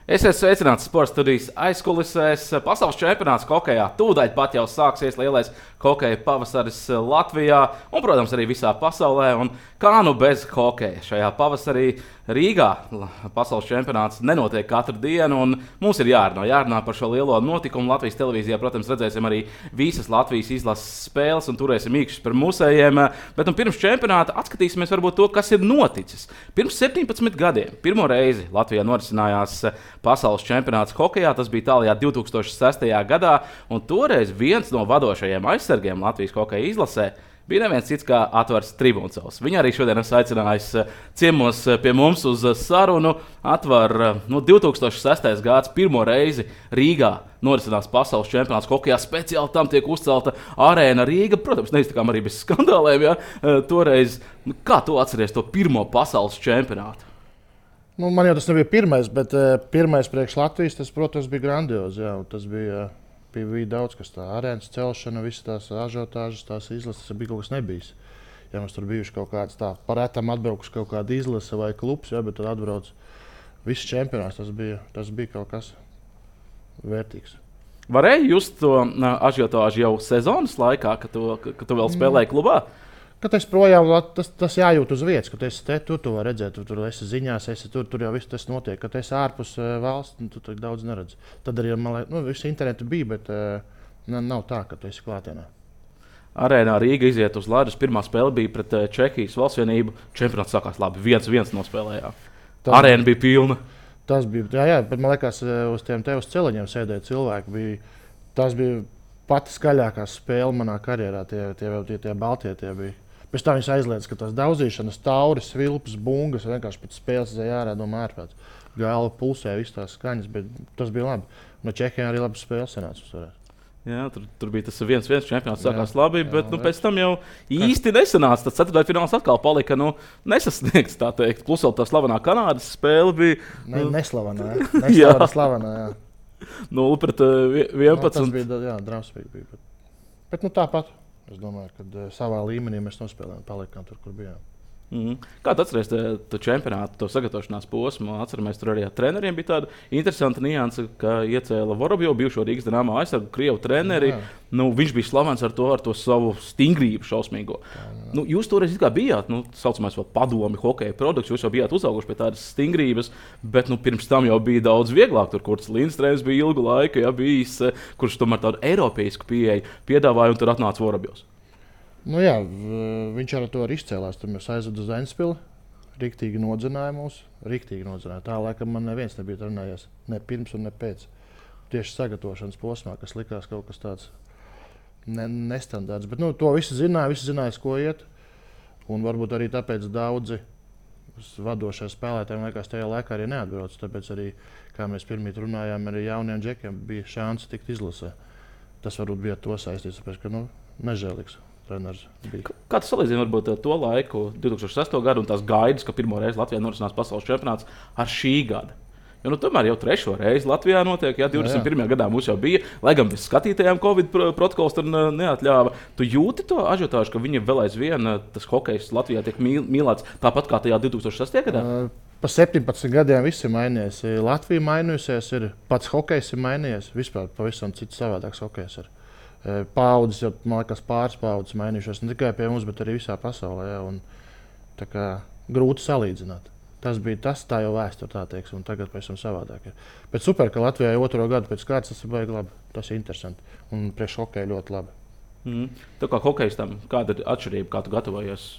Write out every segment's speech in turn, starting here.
Esiet sveicināts sporta studijas aizkulisēs. Pasaules čempionāts hokejā tūdaļ pat jau sāksies lielais hokeja pavasaris Latvijā un, protams, arī visā pasaulē. Un kā nu bez hokeja šajā pavasarī Rīgā pasaules čempionāts nenotiek katru dienu, un mums ir jārunā par šo lielo notikumu. Latvijas televīzijā, protams, redzēsim arī visas Latvijas izlases spēles un turēsim īkšķus par mūsējiem. Bet pirms čempionāta atskatīsimies varbūt to, kas ir noticis. Pirms 17 gadiem pirmo reizi Latvijā norisinājās pasaules čempionāts hokejā. Tas bija tālajā 2006. gadā, un toreiz viens no vadošajiem aizsargiem Latvijas hokeja izlasē bija neviens cits kā Atvars Tribuntsovs. Viņu arī šodien esmu aicinājis ciemos pie mums uz sarunu. Atvar, 2006. gads pirmo reizi Rīgā norisinās pasaules čempionāts hokejā. Speciāli tam tiek uzcelta arēna Rīga. Protams, neiztikām arī bez skandāliem. Ja? Toreiz, kā tu atceries to pirmo pasaules čempionātu? Man jau tas nebija pirmais, bet pirmais priekš Latvijas, tas, protams, bija grandiozi. Jā, tas bija daudz kas tāds, arēnas celšana, visas tās ažiotāžas, tās izlases, tas bija kaut kas nebijis. Ja mums tur bijuši kaut kāds tā, paretam atbraukuši kaut kāda izlase vai klubs, ja, bet tad atbrauc viss čempionāts, tas bija kaut kas vērtīgs. Varēja just to ažiotāžu jau sezonas laikā, kad tu vēl spēlēji klubā? Kad es projām, tas jājūt uz vietas, kad esi te, tu vari redzēt, tur esi ziņās, tur jau viss tas notiek. Kad esi ārpus valsts, tu tur daudz neredz. Tad arī, viss internetu bija, bet nav tā, ka tu esi klātienē. Arēnā Rīga iziet uz ledus. Pirmā spēle bija pret Čehijas Valstsvienību. Čempionāts sākās labi, 1-1 nospēlējām. Arēna bija pilna. Tas bija, jā, bet man liekas, uz tiem te uz celiņiem sēdēja cilvēki. Tas bija pati skaļākā spēle manā karjerā, tie baltie tie bija. Pēc tam viņš aizliedz, ka tās daudzīšanas, tauris, vilpas, bungas, vienkārši pēc spēles ārā no mērpēc. Galva pulsē, visas tās skaņas, bet tas bija labi. No Čehijā arī labi spēles sanāca. Jā, tur bija tas 1-1 čempionāts, sākās labi, bet pēc tam jau īsti nesanāca. Tas ceturtdaļfināls atkal palika nesasniegts, tā teikt. Plus vēl tā slavenā Kanādas spēle bija. Neslavenā, jā. 0-11. Tas bija drausmīgi. Bet tāpat. Es domāju, ka savā līmenī mēs nospēlējām, palikām tur, kur bijām. Kā tu atceries to čempionātu, to sagatavošanās posmu? Atceramies, tur arī ar treneriem bija tāda interesanta nianse, ka iecēla Vorobjovu, bijušo Rīgas Dinamo aizsargu, krievu treneri. Viņš bija slavens ar to savu stingrību šausmīgo. Jūs toreiz bijāt, saucamais padomi, hokeja produkts, jūs jau bijāt uzauguši pie tādas stingrības, bet pirms tam jau bija daudz vieglāk. Tur Kurts Lindstrēms bija ilgu laiku, bijis, kurš tomēr tādu eiropeisku pieeju piedāvāja, un tur atnāca Vorobjovs. Jā, viņš ar to izcēlās. Tur mēs aizvedu uz Ventspili. Riktīgi nodzināja mūs. Tā laikam man neviens nebija trenējies. Ne pirms un ne pēc. Tieši sagatavošanas posmā, kas likās kaut kas tāds nestandarts. Bet to visi zināja, ko iet. Un varbūt arī tāpēc daudzi vadošie spēlētāji liekas tajā laikā arī neatbrauc. Tāpēc arī, kā mēs pirmīt runājām, arī jauniem džekiem bija šansa tikt izlasē. Tas varbūt bija to saistīts, tāpēc, ka nežēlīgs. Kā tu salīdzini varbūt to laiku, 2006. gadu, un tās gaidas, ka pirmo reizi Latvijā norisinās pasaules čempionāts ar šī gada? Jo tomēr jau trešo reizi Latvijā notiek, 21. gadā mums jau bija, lai gan bez skatītājiem Covid protokols tur neatļāva. Tu jūti to ažiotāžu, ka viņi vēl aizvien tas hokejs Latvijā tiek mīlēts tāpat kā tajā 2006. gadā? Pa 17 gadiem viss ir mainījies. Latvija mainījusies, pats hokejs ir mainījies, vispār pavisam cits savādāks hokejs ir. Paudzes, jau man liekas, pāris paudzes mainījušās ne tikai pie mums, bet arī visā pasaulē. Ja, grūti salīdzināt. Tas bija tas, tā jau vēsture, tā teiksim, un tagad pēc tam savādāk. Bet super, ka Latvijā jau otro gadu pēc kārtas tas ir baigi labi. Tas ir interesanti un priekš hokeja ļoti labi. Tu kā hokejistam, kāda ir atšķirība, kā tu gatavojies?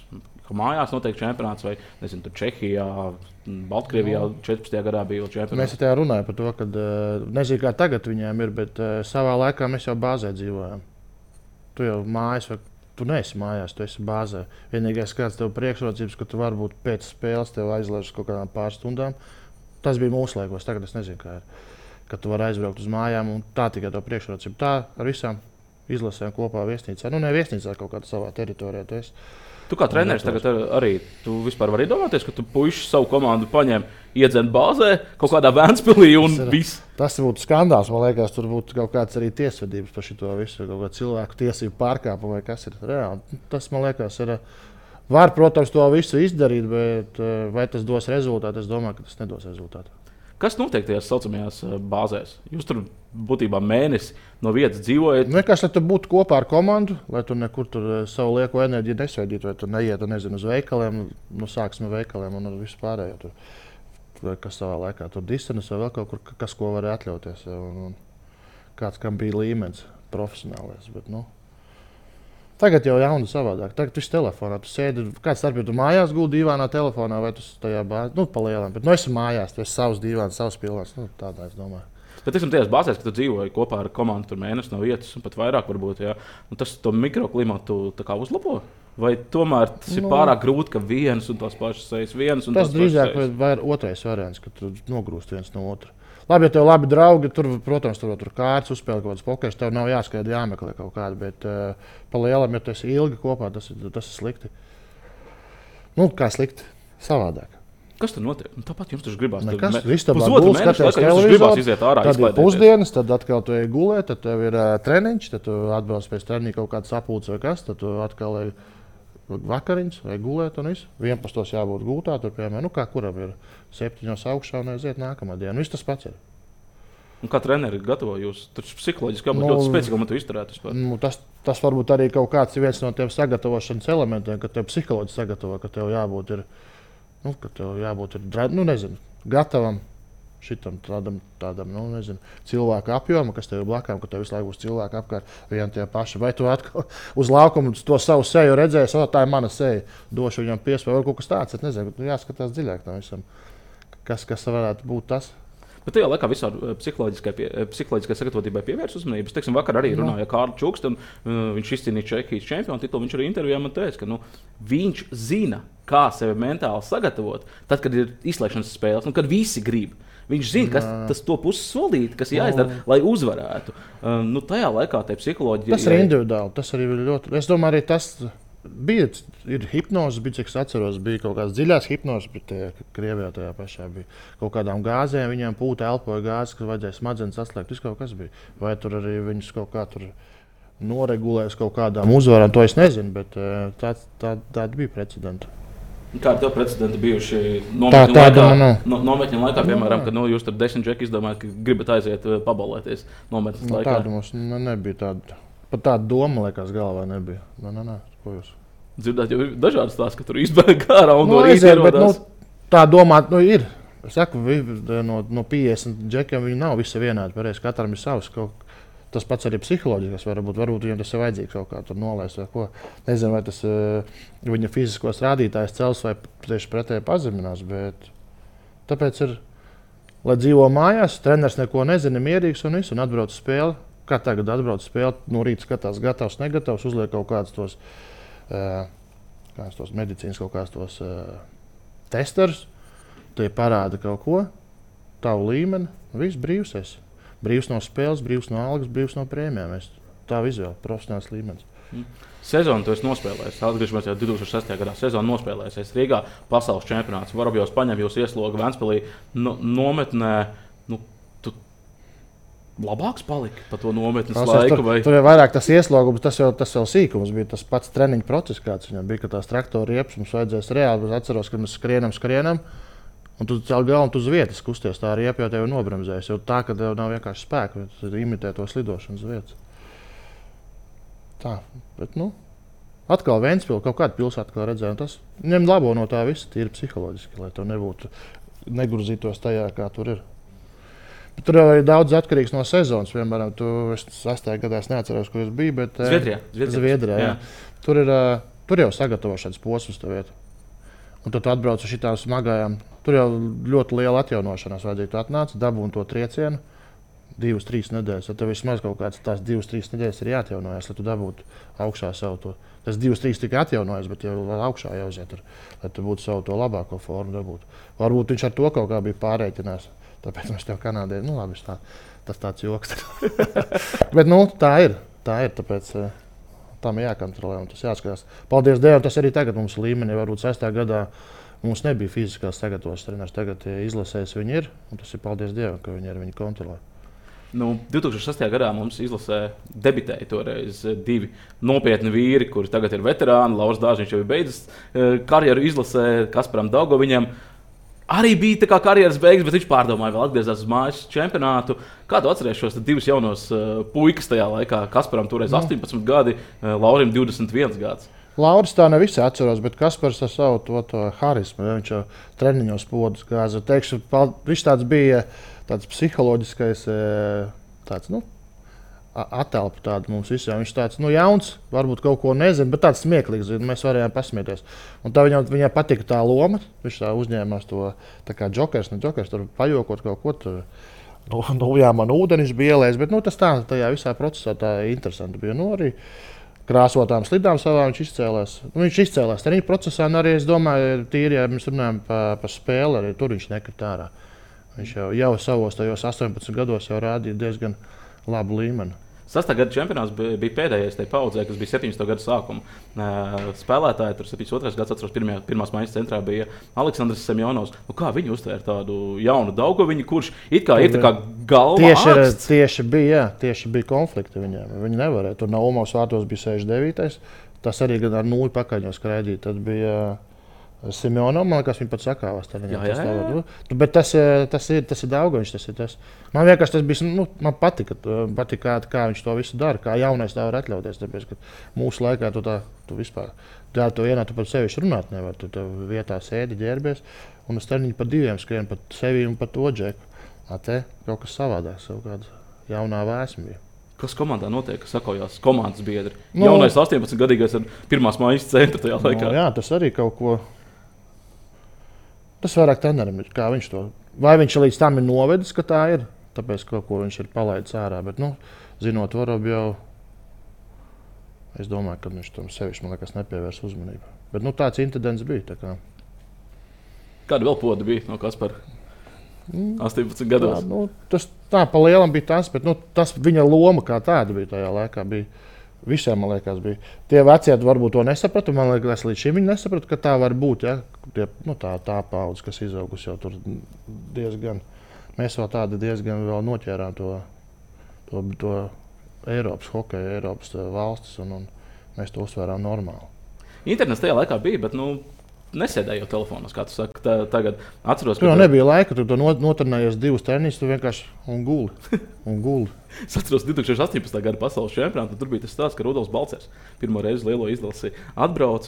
Ka mājās notiek čempionāts vai, nezinu, tur Čehijā, Baltkrievijā 14. gadā bija čempionāts? Mēs tajā runājam par to, ka nezinu, kā tagad viņiem ir, bet savā laikā mēs jau bāzē dzīvojam. Tu jau mājas, vai tu neesi mājās, tu esi bāzē. Vienīgais kāds tev priekšrocības, ka tu varbūt pēc spēles tev aizlaiž kaut kādām pāris stundām. Tas bija mūsu laikos, tagad es nezinu, kā ir. Kad tu vari aizbraukt uz mājām un tā tikai tev priekšrocība. Tā ar visām izlasēm kopā viesnīcā. Ne viesnīcā, kaut kādā savā teritorijā. Tu kā treneris tagad arī vispār vari iedomāties, ka tu puiši savu komandu paņem, iedzen bāzē, kaut kādā Ventspilī un viss. Tas būtu skandāls. Man liekas, tur būtu kaut kāds arī tiesvedības par šito visu, kaut kāda cilvēku tiesību pārkāpumu vai kas ir reāli. Tas, man liekas, ir. Var, protams, to visu izdarīt, bet vai tas dos rezultātu? Es domāju, ka tas nedos rezultātu. Kas notiek tajās saucamajās bāzēs? Jūs tur būtībā mēnesi no vietas dzīvojat. Vienkārši, lai tu būtu kopā ar komandu, lai tu nekur tur savu lieko enerģiju nesveidītu, vai tu neietu, nezinu, uz veikaliem, sāksim ar veikaliem un ar visu pārējo tur. Vai kas savā laikā tur distanis vai vēl kaut kur, kas ko var atļauties. Un kāds, kam bija līmenis profesionālais, bet, tagad jau jauni savādāk. Tagad viss telefonā. Tu sēdi, kāds starp, tu mājās guldi dīvānā telefonā vai tu tajā bāzē, pa lielām. Bet esi mājās, tu esi savs dīvāns, savs pilvāns. Tādā es domāju. Bet, teiksim, tajās bāzēs, kad tu dzīvoji kopā ar komandu tur mēnesi no vietas un pat vairāk varbūt, tas to mikroklimatu tā kā uzlabo? Vai tomēr tas ir pārāk grūti, ka viens un tās pašas sejas viens un tas drīzāk ir otrais variants, ka tu nogrūst viens no otra. Labi, ja tev labi draugi, tur, protams, tur kārtas uzspēlē kaut kādas pokeras, tev nav jāskaidri jāmeklē kaut kāda, bet pa lielam, ja tu esi ilgi kopā, tas ir slikti. Kā slikti? Savādāk. Kas tur notiek? Tāpat jums tur gribās. Nekas, istabā gulst, skaties televizoru, tad ir pusdienas, tad atkal tu ej gulēt, tad tev ir treniņš, tad tu atbrauc pēc treniņa kaut kāds sapulcs vai kas, tad tu atkal ej vakariņas vai gulēt un viss. 11. jābūt gultā, tur, piemēram, kā kuram ir 7. augšā un aiziet nākamā diena. Viss tas pats ir. Un kā treneri gatavo jūs? Tur psiholoģiski jābūt ļoti spēcīgam, tu izturētu vispār. Tas varbūt arī kaut kāds viens no tiem sagatavošanas elementiem, ka tev psiholoģiski sagatavo, ka tev jābūt ir, nezinu, gatavam šitam tādam cilvēku apjomam, kas tev ir blakām, ka tev visu laiku būs cilvēki apkārt vien tie paši. Vai tu atkal uz laukumu to savu seju redzēsi, tā ir mana seja, došu viņam piespēju, vai kaut kas tāds, es nezinu, jāskatās dziļāk tam visam, kas varētu būt tas. Bet tajā laikā visā psiholoģiskai sagatavotībai pievērs uzmanības. Teiksim, vakar arī runāja Kārlis Čukste, un viņš izcīnīja Čehijas čempionu titulu. Viņš arī intervijā man teica, ka viņš zina, kā sevi mentāli sagatavot, tad, kad ir izslēgšanas spēles, un kad visi grib. Viņš zina, kas tas to puses solīt, kas jāizdara, lai uzvarētu. Tajā laikā tā psiholoģija... Tas ir individuāli, tas arī ir ļoti... Es domāju, arī tas ir hipnoze, cik es atceros, bija kaut kādas dziļās hipnozes, bet Krievijā tajā pašā bija kaut kādām gāzēm, viņiem pūta elpoja gāzes, kas vajadzēja smadzenes atslēgt, viss kaut kas bija. Vai tur arī viņus kaut kā tur noregulēs kaut kādām uzvarām, to es nezinu, bet tāda bija precedenta. Kādi tev precedenti bijuši nometņu laikā, piemēram, kad jūs tur 10 džeki izdomājat, ka gribat aiziet pabalēties nometnes laikā? Tāda mums nebija tāda. Pat tāda doma, liekas, galvā nebija. Ko jūs? Dzirdēt, jau ir dažādi stāsti, ka tur izbēg ārā un no rīta ierodās. Tā domāt, ir. Es saku, no 50 džekiem viņi nav visi vienādi. Pareizi, katram ir savs kaut. Tas pats arī psiholoģiski, varbūt viņam tas ir vajadzīgs kaut kā tur nolaist vai ko. Nezinu, vai tas viņa fiziskos rādītājs cels vai tieši pretēji pazeminās, bet tāpēc ir, lai dzīvo mājās, treneris neko nezina, mierīgs un viss, un atbrauc spēli. Kā tagad atbrauc spēli, no rīta skatās gatavs, negatavs, uzliek kaut kādus tos medicīnas, kaut kādus tos testerus, tie parāda kaut ko, tavu līmeni, viss brīvs esi. Brīvs no spēles, brīvs no algas, brīvs no prēmijām. Tā vizuāli profesionāls līmenis. Sezonu tu esi nospēlējis. Atgriežamies jau 2006. gadā. Sezonu nospēlējis Rīgā, pasaules čempionāts. Vorobjovs paņem jūs ieslogu Ventspilī nometnē. Tu labāks paliki pa to nometnes laiku? Tur jau vairāk tas ieslogums, tas jau sīkums bija. Tas pats treniņu process, kāds viņam bija, ka tās traktora riepas mums vajadzēs reāli. Es atceros, ka mēs skrienam. Un tu cēl galvu, tu uz vietas kusties, tā arī jau tevi nobremzēs. Jo tā, ka tev nav vienkārši spēka, tad imitē to slidošanas vietas. Tā, bet atkal Ventspili, kaut kādu pilsētu atkal redzēju. Tas ņem labo no tā visa, tīri psiholoģiski, lai tev nebūtu negurzītos tajā, kā tur ir. Bet tur jau ir daudz atkarīgs no sezonas. Piemēram, es 6. gadā neatceros, kur es biju, bet Zviedrijā. Jā. Tur jau sagatavošanas posms tev iet. Un tad tu atbrauc uz šitām smagajām. Tur jau ļoti liela atjaunošanās vajadzīga. Tu atnāc, dabūni to triecienu 2-3 nedēļas. Tad tev vismaz kaut kāds tās 2-3 nedēļas ir jāatjaunojas, lai tu dabūtu augšā savu to. Tas 2-3 tikai atjaunojas, bet jau augšā jāuziet, lai tu būtu savu to labāko formu dabūt. Varbūt viņš ar to kaut kā bija pārreikinās. Tāpēc mēs tev Kanādē, labi, tas tāds joks. Bet tā ir. Tāpēc tam jākontrolē un tas jāskatās. Paldies Dievam, tas arī tagad mums līmenī. Varbūt 6. gadā mums nebija fiziskās sagatavošanās treneris. Tagad izlasēs viņi ir, un tas ir paldies Dievam, ka viņi kontrolē. 2006. gadā mums izlasē debitēja toreiz 2 nopietni vīri, kuri tagad ir veterāni. Lauris Dārziņš jau ir beidzis karjeru izlasē, Kasparam Daugoviņam. arī bija tā kā karjeras beigas, bet viņš pārdomāja, vēl atgriezās uz mājas čempionātu. Kā tu atceries šos divus jaunos puikas tajā laikā? Kasparam toreiz 18 gadi, Laurim 21 gads. Lauris tā ne visi atceros, bet Kaspars ar savu to harismu, ja viņš jau treniņos podus gāza. Teikšu, viņš tāds bija tāds psiholoģiskais tāds, attēlpa tāda mums visiem. Viņš tāds jauns, varbūt kaut ko nezina, bet tāds smieklīgs. Mēs varējām pasmieties. Un tā viņam patika tā loma. Viņš tā uzņēmās to tā kā džokers, tur pajokot kaut ko tur. Jā, man ūdenis bija ielējis, bet tas tā, tajā visā procesā tā interesanti bija. Arī krāsotām slidām savā viņš izcēlās. Viņš izcēlās treniņu procesā, un arī es domāju, tīri, ja mēs runājam par spēli, arī tur viņš nekrita ārā. Viņš jau savos tajos 18 gados jau rādīja diezgan labu līmeni. 6. gada čempionāts bija pēdējais tajā paudzē, kas bija 17. gada sākuma. Spēlētāji tur 72. gads, atceros, pirmās maiņas centrā bija Aleksandrs Semjonovs. Kā viņi uztvēra tādu jaunu Daugoviņu, kurš it kā ir tā kā galva ārsts? Tieši bija konflikti viņiem. Viņi nevarēja. Tur Naumovs vārtos bija 69. Tas arī gan ar nulli pakaļņos skraidīja. Tad bija Semjonov, man liekas, viņi pat sakāvās. Bet tas ir Daugoviņš. Man vienkārši tas bija, man patika kā viņš to visu dara, kā jaunais tā var atļauties. Tāpēc, ka mūsu laikā tu vispār to vienā, tu par sevišķi runāt nevar. Tu vietā sēdi, ģērbies, un uz treniņu pa diviem skrien, pat sevi un pat to džeku. Te kaut kas savādāks, kaut kāda jaunā vēsma bija. Kas komandā notiek, kas sakojās komandas biedri? Jaunais 18-gadīgais ar pirmās mājas centra tajā laikā. Jā, tas arī kaut ko. Tas vairāk trenerim ir, kā viņš to. Vai viņš līdz tam ir novedis, ka tā ir, tāpēc kaut ko viņš ir palaidis ārā. Bet, zinot Vorobu jau, es domāju, ka viņš tam sevišķi, man liekas, nepievērs uzmanību. Bet, tāds incidents bija. Kāda vēl poda bija no Kaspara? 18 gados. Tas tā pa lielam bija tas, bet tas viņa loma kā tāda bija tajā laikā. Visiem, man liekas, bija. Tie vecie varbūt to nesaprata. Man liekas, līdz šim viņi nesaprata, ka tā var būt. Ja? Tā paudze, kas izaugusi jau tur diezgan. Mēs vēl tādi diezgan vēl noķērām to Eiropas hokeju, Eiropas valstis, un mēs to uztvērām normāli. Internets tajā laikā bija, bet nesēdēju telefonos, kā tu saki. Tagad atceros, ka tur nebija laika, tu notrenējies 2 treniņus, tu vienkārši guli. Es atceros 2018. gada pasaules čempionātu. Tur bija tas stāsts, ka Rudolfs Balcers pirmo reizi lielo izlasi atbrauc.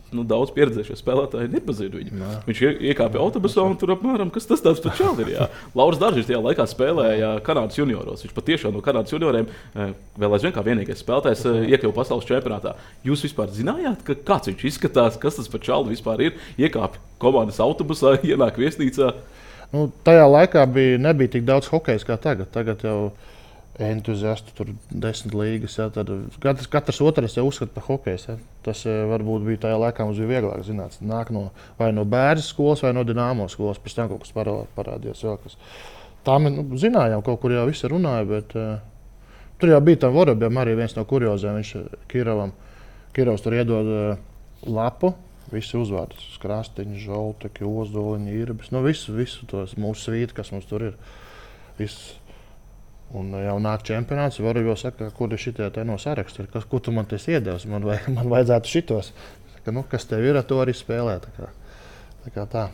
Daudz pieredzējušie spēlētāji nepazina viņu. Jā. Viņš iekāpa autobusā un tur apmēram, kas tas tāds par čāli ir. Lauris Dārzs tajā laikā spēlēja Kanādas junioros. Viņš patiešām no Kanādas junioriem vēl aizvien kā vienīgais spēlētājs iekļuva pasaules čempionātā. Jūs vispār zinājāt, kāds viņš izskatās, kas tas par čāli vispār ir? Iekāpa komandas autobusā, ienāk viesnīcā. Tajā laikā nebija tik daudz hokeja kā tagad. Tagad jau entuziasti, tur 10 līgas. Ja, katrs otrs jau uzskata par hokeju. Ja. Tas varbūt bija tajā laikā, mums bija vieglāk zināt. Nāk vai no Bērзes skolas, vai no Dināmo skolas. Pēc tam kaut kas parādījās. Tā mēs zinājām, kaut kur jau visi runāja, bet tur jau bija tam Vorobjam arī viens no kurioziem. Viņš Kirovs tur iedod lapu, visi uzvārdi. Krastiņš, Žolteki, Ozoliņi, Irbis. Visu tos mūsu svīti, kas mums tur ir. Viss. Un jau nāk čempionāts, varu jau saka, kur ir šitie te no saraksta, ko tu man tas iedevis, man vajadzētu šitos. Kas tev ir, to arī spēlē. Tā.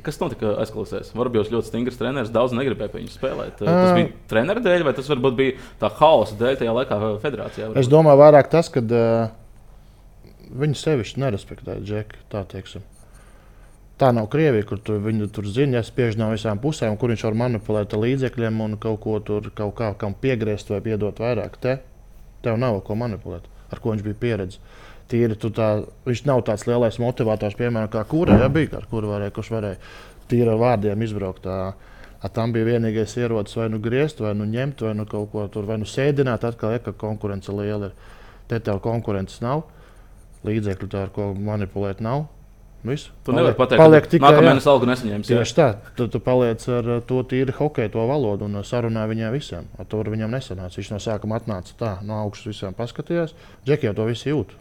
Kas notika aizkulisēs? Varbūt ļoti stingrs treneris, daudz negribēja pie viņu spēlēt. Tas bija trenera dēļ, vai tas varbūt bija tā hausa dēļ tajā laikā federācijā? Varbūt? Es domāju vairāk tas, ka viņi sevišķi nerespektēja Džeku, tā teiksim. Tā nav Krievija, kur viņi tur zina, ja spiež no visām pusēm, kur viņš var manipulēt ar līdzekļiem un kaut ko tur kam piegriezt vai piedot vairāk. Tev nav ko manipulēt, ar ko viņš bija pieredzi. Tīri, viņš nav tāds lielais motivators, piemēram, kā Kura, ja bija, ar kuru kurš varēja tīri ar vārdiem izbraukt. Tam bija vienīgais ierocis vai griezt, vai ņemt, vai kaut ko tur, vai sēdināt atkal, ka konkurence liela ir. Te tev konkurences nav, līdzekļu tā, ar ko manipulēt nav. Visu. Tu nevari pateikt, ka nākamā mēnesis algu nesaņemsi. Tieši tā. Tu paliec ar to tīri hokeju, to valodu un sarunāji viņiem visiem. Ar to viņam nesanāca. Viņš no sākuma atnāca tā, no augšas visiem paskatījās. Džeki jau to visi jūt.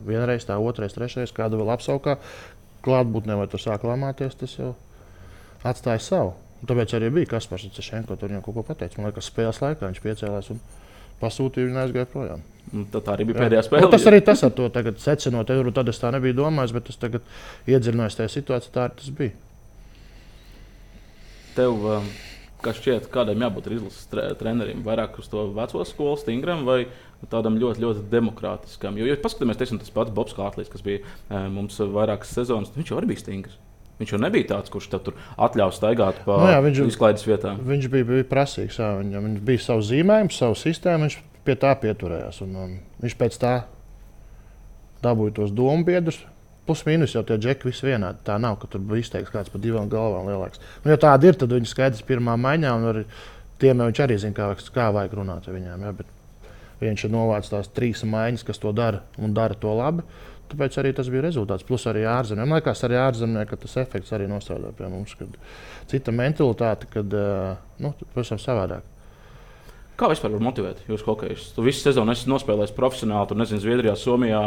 Vienreiz tā, otrais, trešais, kādu vēl apsaukā. Klātbūtnē vai tur sāk lamāties, tas jau atstāja savu. Un tāpēc arī bija Kaspars Cešenko, tur viņam kaut ko pateica. Man liekas, spēles laikā viņš piecēlās un pasūtīja viņu aizgāja projām. Tā arī bija pēdējā spēle. Tas arī tas ar to tagad secinot, tad es tā nebiju domājis, bet es tagad iedziļinājos tajā situācijā, tā arī tas bija. Tev, kas šķiet, kādam jābūt izlases trenerim? Vairāk uz to veco skolu stingram vai tādam ļoti, ļoti demokrātiskam? Jo paskatāmies, teiksim, tas pats Bobs Kārtlis, kas bija mums vairākas sezonas, viņš jau arī bija stingrs. Viņš jau nebija tāds, kurš tur atļauj staigāt pa izklaides vietām. Viņš bija prasīgs. Viņš bija savu zīmējumu, savu sistēmu, viņš pie tā pieturējās. Viņš pēc tā dabūja tos domu biedrus. Plus mīnus jau tie džeki visi vienādi. Tā nav, ka tur bija izteikts kāds pa 2 galvām lielāks. Ja tāda ir, tad viņi skaidrs pirmā maiņā. Tiem viņš arī zina, kā vajag runāt ar viņiem. Ja? Bet viņš ir novācis tās 3 maiņas, kas to dara un dara to labi. Tāpēc arī tas bija rezultāts. Plus arī ārzemēm. Man liekas, arī ārzemēm, ka tas efekts arī nostrādā pie mums. Cita mentalitāte, kad pavisam savādāk. Kā vispār var motivēt jūs hokejus? Tu visu sezonu esi nospēlējis profesionāli, tur nezinu, Zviedrijā, Somijā,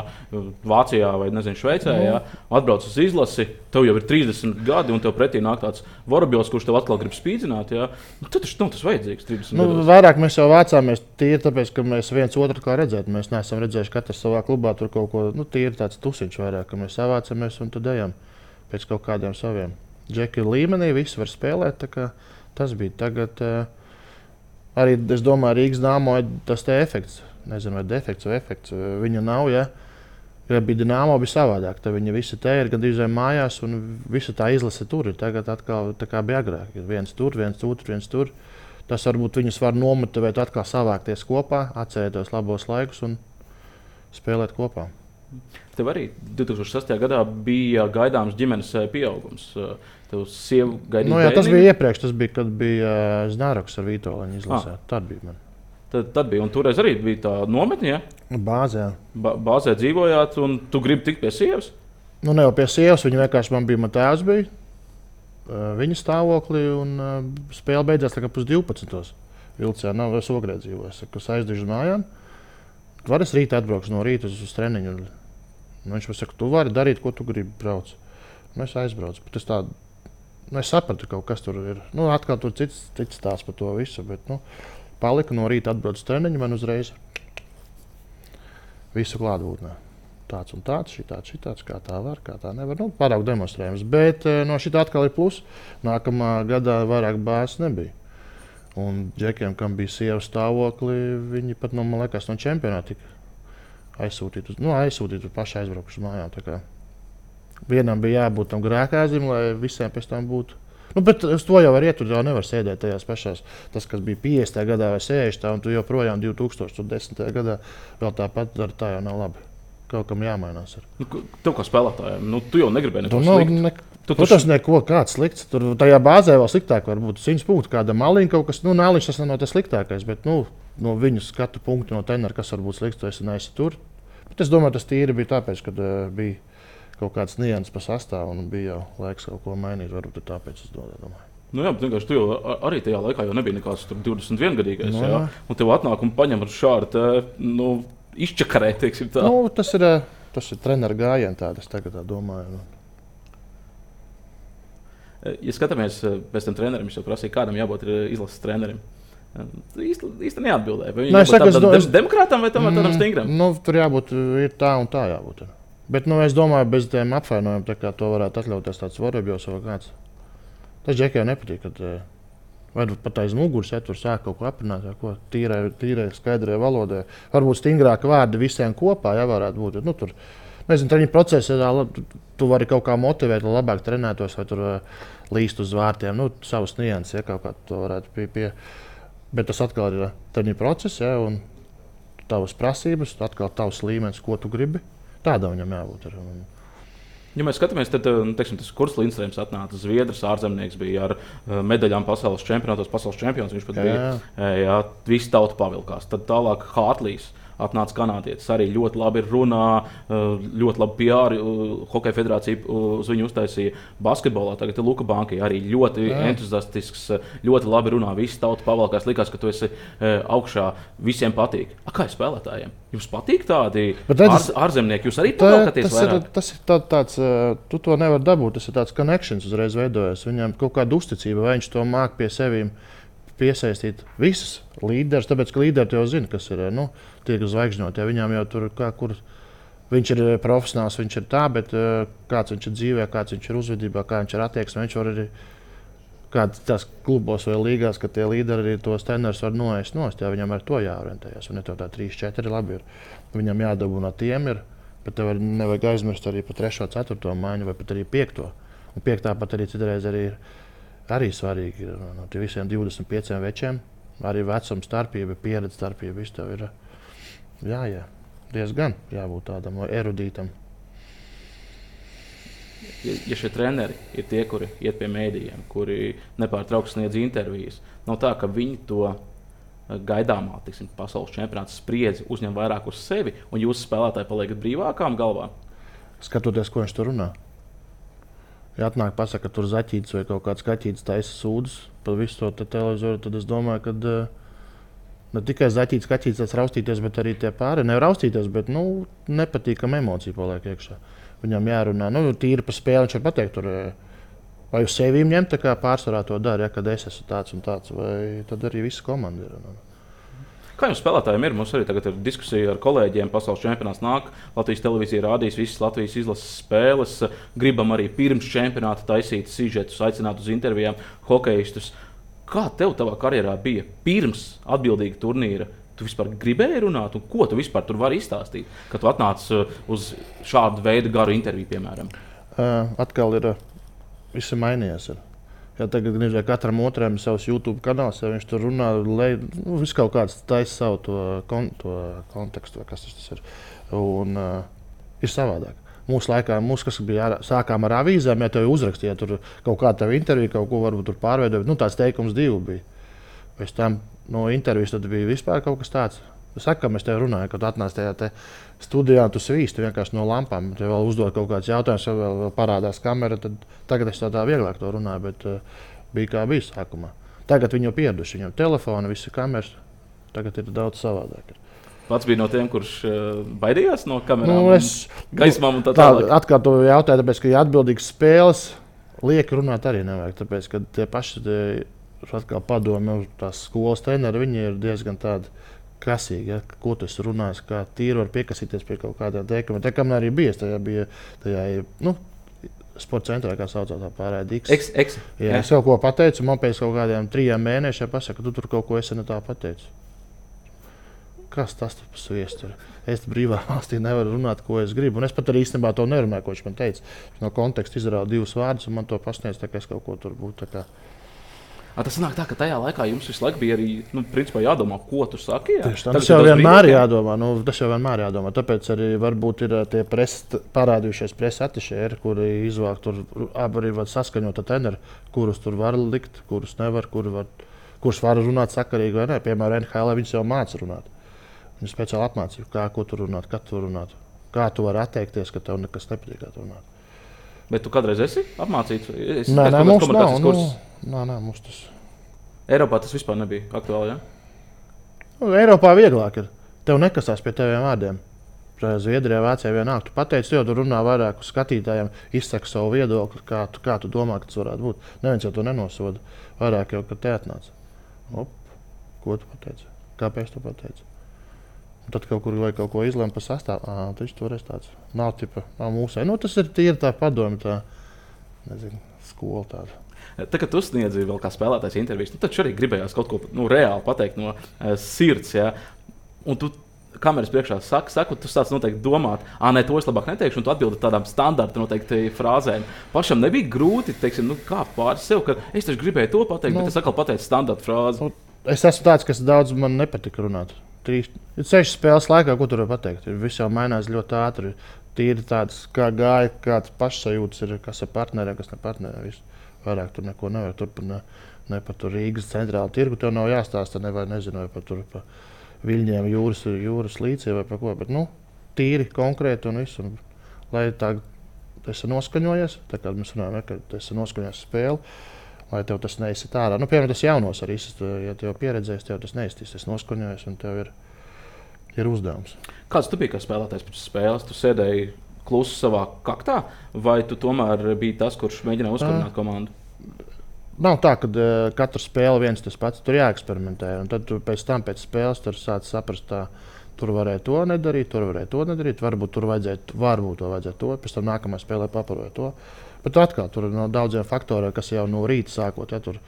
Vācijā vai nezinu, Šveicē. Jā. Atbrauc uz izlasi, tev jau ir 30 gadi un tev pretī nāk tāds Vorobjovs, kurš tev atkal grib spīdzināt. Tad tas nav tas vajadzīgs 30 gados. Vairāk mēs jau vācāmies tīri tāpēc, ka mēs viens otru kā redzēt. Mēs neesam redzējuši katrs savā klubā tur kaut ko, tīri tāds tusiņš vairāk, ka mēs savācamies un tad ejam pēc kaut kādiem saviem. Džeki līmenī, visi var spēlēt, tā kā tas bija tagad. Arī, es domāju, Rīgas Dāmo ir tas te efekts. Nezinu, vai defekts vai efekts. Viņa nav, ja bija Dāmo, bija savādāk. Tad viņi visi te ir gandrīz mājās un visa tā izlase tur ir. Tagad atkal tā kā bija agrāk. Viens tur, viens tur. Tas varbūt viņus var nomotivēt atkal savākties kopā, atcerēties labos laikus un spēlēt kopā. Tev arī 2006. gadā bija gaidāms ģimenes pieaugums. Tev sieva gaidīja tas bija iepriekš, tas bija, kad bija Znaroks ar Vitoļiņu izlasē. Tad bija man. Tad bija, un toreiz arī bija tā nometne, ja? Bāzē. Bāzē dzīvojāt, un tu gribi tikt pie sievas? Ne jau pie sievas, viņa vienkārši man tēvs bija. Viņa stāvoklī, un spēle beidzās tā kā 12. Vilcē, nav es Ogrē dzīvojis, kas aizdižu mājām. Var es rīt atbraukšu no rīta uz treniņu. Viņš man saka, tu vari darīt, ko tu gribi brauc. Es aizbraucu, bet es sapratu, kaut kas tur ir. Atkal tur cits stāsts par to visu, bet palika no rīta atbraucu uz treniņu, man uzreiz visu klātbūtnē. Tāds un tāds, šitāds, kā tā var, kā tā nevar. Pārāk demonstrējums, bet no šitā atkal ir plus. Nākamā gadā vairāk bāzes nebija. Un džekiem, kam bija sievas stāvokli, viņi pat, man liekas, no čempionāta tika aizsūtīti uz pašu aizbraukuši uz mājām. Vienam bija jābūt tam grēkāzim, lai visiem pēc tam būtu. Bet uz to jau var iet, tu jau nevar sēdēt tajās pašās. Tas, kas bija 50. gadā vai 60. un tu joprojām 2010. gadā vēl tāpat dara, tā jau nav labi. Kaut kam jāmainās. Tev kā spēlētājiem, tu jau negribēji neko sliktu. Tas neko kāds slikts. Tur tajā bāzē vēl sliktāk var būt 100 punktu. Kāda maliņa kaut kas, Nāliņš tas nav tas sliktākais, bet no viņu skatu punktu, no tenera, kas var būt slikts, tu esi neesi tur. Bet es domāju, tas tīri bija tāpēc, ka bija kaut kāds nianses pa sastāvu un bija jau laiks kaut ko mainīt. Varbūt tāpēc es domāju. Jā, bet vienkārši tu jau arī tajā laikā jau nebija nekāds 21-gadīgais. Jā? Un tev atnāk un paņem ar šādu, izčakarē, teiksim tā. Tas ir treneru gājiens, tādas tagad tā domāju. Ja skatāmies pēc tam trenerim, viņš jau prasīja, kādam jābūt izlases trenerim. Īsti neatbildēja. Vai viņam jābūt tādam demokrātam vai tādam stingram? Tur jābūt tā un tā jābūt. Bet es domāju, bez tiem apvainojumiem, tā kā to varētu atļauties tāds Vorobjovs vai kāds. Tas džekiem nepatīk, kad vai pat aiz muguras, ja tur sāk kaut ko aprunāt, ko tīrai, skaidrai valodai. Varbūt stingrāki vārdi visiem kopā, ja varētu būt. Tur, nezinu, treniņu procesā tu vari kaut kā motivēt, lai labāk trenētos vai tur līst uz vārtiem. Savas nianses, ja kaut kā to varētu pie. Bet tas atkal ir treniņu process, ja, un tavas prasības, atkal tavs līmenis, ko tu gribi. Tādā viņam jābūt. Ja mēs skatāmies, tad tas Kurs Lindstrēms atnāca Zviedrs, ārzemnieks bija ar medaļām pasaules čempionātos, pasaules čempions. Viņš pat bija, visi tauta pavilkās. Tad tālāk Hārtlijs atnāca kanādietis, arī ļoti labi runā, ļoti labi PR, Hokeja federācija uz viņu uztaisīja basketbolā. Tagad ir Luka Banki, arī ļoti entuziastisks, ļoti labi runā, visi tauta pavilkās. Likās, ka tu esi augšā, visiem patīk. Kā ir spēlētājiem? Jums patīk tādi ārzemnieki? Jūs arī pavilkaties vairāk? Tas ir tāds, tu to nevar dabūt, tas ir tāds connections uzreiz veidojas. Viņam kaut kāda uzticība, vai viņš to māk pie piesaistīt visus līderus, tāpēc, ka līderi jau zina, kas ir tiek zvaigžņoti. Viņām jau tur kur viņš ir profesionāls, viņš ir tā, bet kāds viņš ir dzīvē, kāds viņš ir uzvedībā, kā viņš ir attieksmē, viņš var arī kāds tās klubos vai līgās, ka tie līderi arī tos trenerus var noēst nost, viņam ar to jāorientējas. Un ne to tā 3-4 labi ir. Viņam jādabūna tiem ir, bet tev nevajag aizmirst arī pa 3. 4. maiņu vai pat arī 5. Un 5. pat arī citreiz arī svarīgi ir no visiem 25 večiem. Arī vecuma starpība, pieredze starpība, viss tev ir diezgan jābūt tādam erudītam. Ja šie treneri ir tie, kuri iet pie mēdījiem, kuri nepārtraukti sniedz intervijas, nav tā, ka viņi to gaidāmā pasaules čempionāta spriedzi uzņem vairāk uz sevi, un jūs spēlētāji paliekat brīvākām galvā? Skatoties, ko viņš tur runā. Ja atnāk pasaka, ka tur zaķītis vai kaut kāds kaķītis taisa sūdzes par visu to televizoru, tad es domāju, ka ne tikai zaķītis, kaķītis tas raustīties, bet arī tie pāri nevar raustīties, bet nepatīkam emocija paliek iekšā. Viņam jārunā, tīri par spēli, viņš var pateikt, tur, vai uz sevi ņemt, tā kā pārsvarā to dara, kad es esmu tāds un tāds, vai tad arī visa komanda ir. Kā jums spēlētājiem ir? Mums arī tagad ir diskusija ar kolēģiem. Pasaules čempionāts nāk, Latvijas televīzija rādīs visas Latvijas izlases spēles. Gribam arī pirms čempionāta taisīt sižetus, aicināt uz intervijām hokejistus. Kā tev tavā karjerā bija pirms atbildīga turnīra? Tu vispār gribēji runāt, un ko tu vispār tur vari izstāstīt, kad tu atnāc uz šādu veidu garu interviju, piemēram? Atkal viss ir mainījies. Ja tagad katram otram ir savs YouTube kanāls, ja viņš tur runā, viss kaut kāds taisa savu to kontekstu, kas tas ir. Un ir savādāk. Mūsu laikā, kas bija sākām ar avīzēm, ja tev uzrakstīja tur kaut kādu tavu interviju, kaut ko varbūt tur pārveidot, tāds teikums 2 bija. Pēc tam no intervijas tad bija vispār kaut kas tāds. Es saku, ka mēs tev runājam, kad atnāc tajā studijā, tu svīsti vienkārši no lampām. Tev vēl uzdod kaut kāds jautājums, vēl parādās kamera, tad tagad es tā vieglāk to runāju, bet bija kā bija sākumā. Tagad viņi jau pieraduši, viņam telefoni, visi kameras, tagad ir daudz savādāk. Pats bija no tiem, kurš baidījās no kamerām, gaismām un tā tālāk. Atkal to jautāju, tāpēc, ka ja atbildīgas spēles, lieki runāt arī nevajag, tāpēc, ka tie paši atkal padomi, tās skolas treneri, viņi ir diezgan tādi krasīgi, ja? Ko tu esi runājis, kā tīri var piekasīties pie kaut kādiem teikumiem. Tā kā man arī bija, tajā sporta centrā, kā saucās tā pārējā X. Jā, es kaut ko pateicu, man pēc kaut kādiem 3 mēnešiem pasaka, ka tu tur kaut ko esi ne tā pateicis. Kas tas par sviestu ir? Es brīvā valstī nevaru runāt, ko es gribu. Un es pat arī īstenībā to nerunāju, ko viņš man teica. No konteksta izrāva 2 vārdus, un man to pasniedz, tā kā es kaut ko tur būtu. Tas sanāk tā, ka tajā laikā jums visu laiku bija arī principā jādomā, ko tu saki. Tas jau vienmēr jādomā. Tas jau vienmēr jādomā. Tāpēc arī varbūt ir tie parādījušies presa atišēri, kuri izvāk tur arī var saskaņot ar treneri, kurus tur var likt, kurus nevar, kurus var runāt sakarīgi vai ne. Piemēram, NHL viņš jau māca runāt. Viņš speciāli apmācīja, ko tur runāt, kad tur runāt. Kā tu vari atteikties, ka tev nekas nepatīk, kā tu runāt. Bet tu kādreiz esi apmācīts? Nē, mums nav. Nē, mums tas. Eiropā tas vispār nebija aktuāli, ja? Eiropā vieglāk ir. Tev nekasās pie teviem vārdiem. Zviedrijā, Vācijā vienāk. Tu pateici, jo tu runā vairāk uz skatītājiem, izsaka savu viedokli, kā tu domā, ka tas varētu būt. Neviens jau to nenosoda. Vairāk jau, kad te atnāca. Ko tu pateici? Kāpēc tu pateici? Un tad kaut kur vai kaut ko izlēma par sastāvu. Taču toreiz tāds nav mūsē. Tas ir tīri tā padome, tā, nezinu, skola tāda. Tā, kad tu sniedzi vēl kā spēlētājs intervijas, tad arī gribējās kaut ko reāli pateikt no sirds. Ja? Un tu kameras priekšā saki, tu sāc noteikti domāt, nē, to es labāk neteikšu, un tu atbildi tādām standarta noteikti frāzēm. Pašam nebija grūti, kā pāris sev, ka es taču gribēju to pateikt, bet es atkal pateicu standarta frāzi. Es esmu tāds, kas daudz man nepatika runāt. 6 spēles laikā, ko tur var pateikt? Viss jau mainās ļoti ātri. Tīri tāds, kā gāja, kāds pašsajūtas ir, kas ar partneriem, kas ne partneriem. Vairāk tur neko nevar. Tur ne par Rīgas centrālu tirgu tev nav jāstāsta, nezinu, vai par Viļņiem jūras līcī vai par ko. Bet, tīri, konkrēti un visu. Un, lai tā esi noskaņojies, tā kā mēs runājam, ka esi noskaņojies spēli, lai tev tas neizsit ārā. Piemēram, tas jaunos arī, ja tev pieredzēs, tev tas neiztīs. Es noskaņojos un tev ir uzdevums. Kāds tu biji kā spēlētājs pēc spēles? Tu sēdēji klusi savā kaktā, vai tu tomēr biji tas, kurš mēģināja uzkarināt komandu? Nav tā, ka katra spēle viens tas pats, tur jāeksperimentē. Un tad pēc spēles tur sāc saprast, tā, tur varēja to nedarīt, tur varēja to nedarīt. Varbūt to vajadzēja to, pēc tam nākamajā spēlē paparoja to. Bet atkal tur ir no daudziem faktoriem, kas jau no rīta sākot. Ja, tur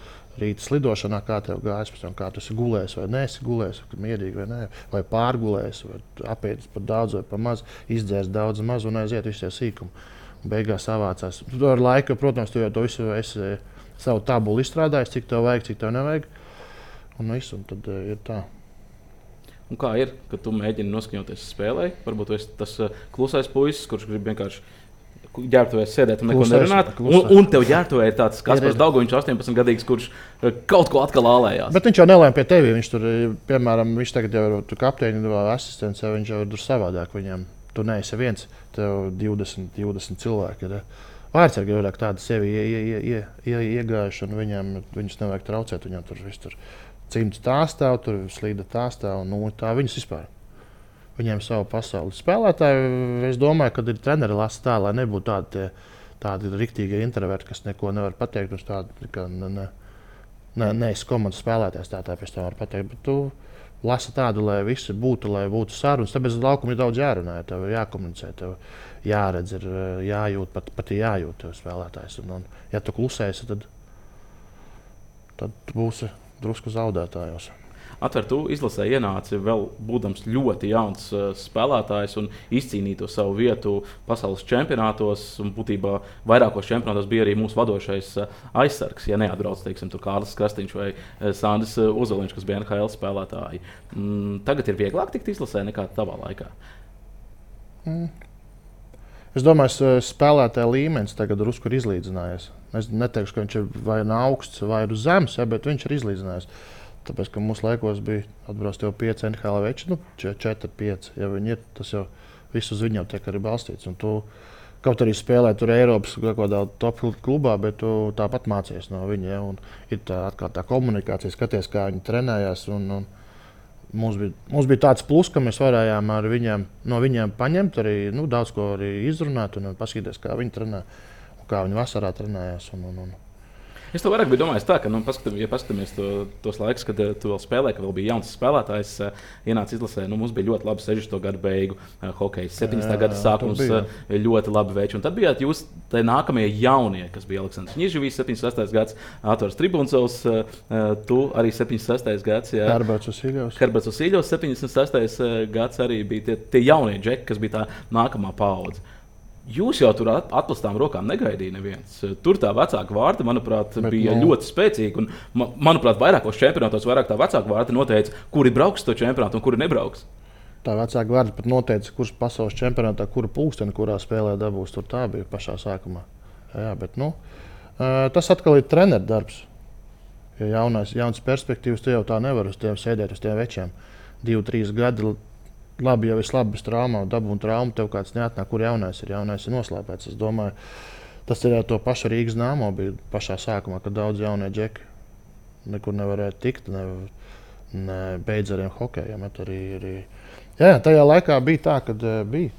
rīta slidošanā, kā tev gājis, kā tu esi gulējis vai neesi gulējis, mierīgi vai nē, vai pārgulējis, vai apēdis par daudz vai par maz, izdzēris daudz maz un aiziet visi tie sīkumi. Beigās savācās. Tu ar laiku, protams, tu jau to visu esi savu tabulu izstrādājis, cik tev vajag, cik tev nevajag. Un viss, un tad ir tā. Un kā ir, kad tu mēģini noskaņoties spēlē? Varbūt tu esi tas klusais puisis, kurš grib vienkārši ģērbtuvēs sēdēt un neko nerunāt. Un tev ģērbtuvē ir tāds Kaspars Daugoviņš, 18 gadīgs, kurš kaut ko atkal ālējās. Bet viņš jau nelēma pie tevi. Viņš tur, piemēram, viņš tagad jau ir kapteiņa vai asistents, viņš jau ir tur savādāk. Viņam tu neesi viens, tev 20 cilvēki ir. Vārdsargi ir tādi sevi iegājuši, un viņus nevajag traucēt. Viņam tur viss tur cimds tā stāv, tur slīda tā stāv, un tā viņus vispār. Viņiem ir sava pasaule. Spēlētāji, es domāju, ka ir treneri lasa tā, lai nebūtu tādi riktīgi introverti, kas neko nevar pateikt. Uz tādu, ka neesi komandas spēlētājs, tā pēc tam var pateikt. Bet tu lasi tādu, lai visi būtu sarunas. Tāpēc laukumā ir daudz jārunā, tev ir jākomunicē, tev jāredz, ir jājūt, pat jājūt tev spēlētājs. Un, ja tu klusēsi, tad būsi drusku zaudētājos. Atver, tu izlasē ienāci vēl būdams ļoti jauns spēlētājs un izcīnīji to savu vietu pasaules čempionātos. Un būtībā vairākos čempionātos bija arī mūsu vadošais aizsargs, ja neatbrauc, teiksim, Kārlis Krastīņš vai Sandis Uzoliņš, kas bija NHL spēlētāji. Tagad ir vieglāk tikt izlasē nekā tavā laikā? Es domāju, spēlētāja līmenis tagad drusku ir izlīdzinājies. Es neteikšu, ka viņš ir vai augsts vai zems, ja, bet viņš ir izlīdzinājies. Tāpēc, ka mūsu laikos bija atbrauc jau 5 NHL veči, 4, 5. Ja viņi ir, tas jau viss uz viņiem tiek arī balstīts. Un tu kaut arī spēlē tur Eiropas kaut kādā top klubā, bet tu tāpat mācies no viņa. Ja, un ir tā komunikācija, skaties, kā viņi trenējās. Un mums bija tāds plus, ka mēs varējām no viņiem paņemt arī daudz ko arī izrunāt un paskatīties, kā viņi trenē un kā viņi vasarā trenējās. Es to vairāk biju domājis tā, ka, ja paskatāmies tos laikus, kad tu vēl spēlēji, ka vēl bija jauns spēlētājs, ienāca izlasē, mums bija ļoti labi 60. gadu beigu hokejs, 70. gada sākums, ļoti labi veči. Un tad bijāt jūs tie nākamie jaunie, kas bija Aleksandrs Ņižavīs, 76. gads, Ātors Tribuncovs, tu arī 76. gads. Herberts Usiļovs, 76. gads arī bija tie jaunie džeki, kas bija tā nākamā paudze. Jūs jau tur atklātām rokām negaidīja neviens. Tur tā vecāka vārta, manuprāt, bija ļoti spēcīga. Un, manuprāt, vairākos čempionātos vairāk tā vecāka vārta noteica, kuri brauks to čempionātu un kuri nebrauks. Tā vecāka vārta pat noteica, kurš pasaules čempionātā, kura pulksteni, kurā spēlē dabūs. Tur tā bija pašā sākumā. Jā, bet, tas atkal ir treneru darbs. Ja jauns perspektīvas, tu jau tā nevar uz tiem sēdēt, uz tiem večiem. 2-3 gadi. Labi, jau viss labi bez traumām, dabūna traumu, tev kāds neatnāk, kur jaunais ir noslēpēts. Es domāju, tas ir to pašu Rīgas Nāmo bija pašā sākumā, kad daudz jaunie džeki nekur nevarēja tikt, ne beidzariem hokejiem. Jā, tajā laikā bija tā, kad bija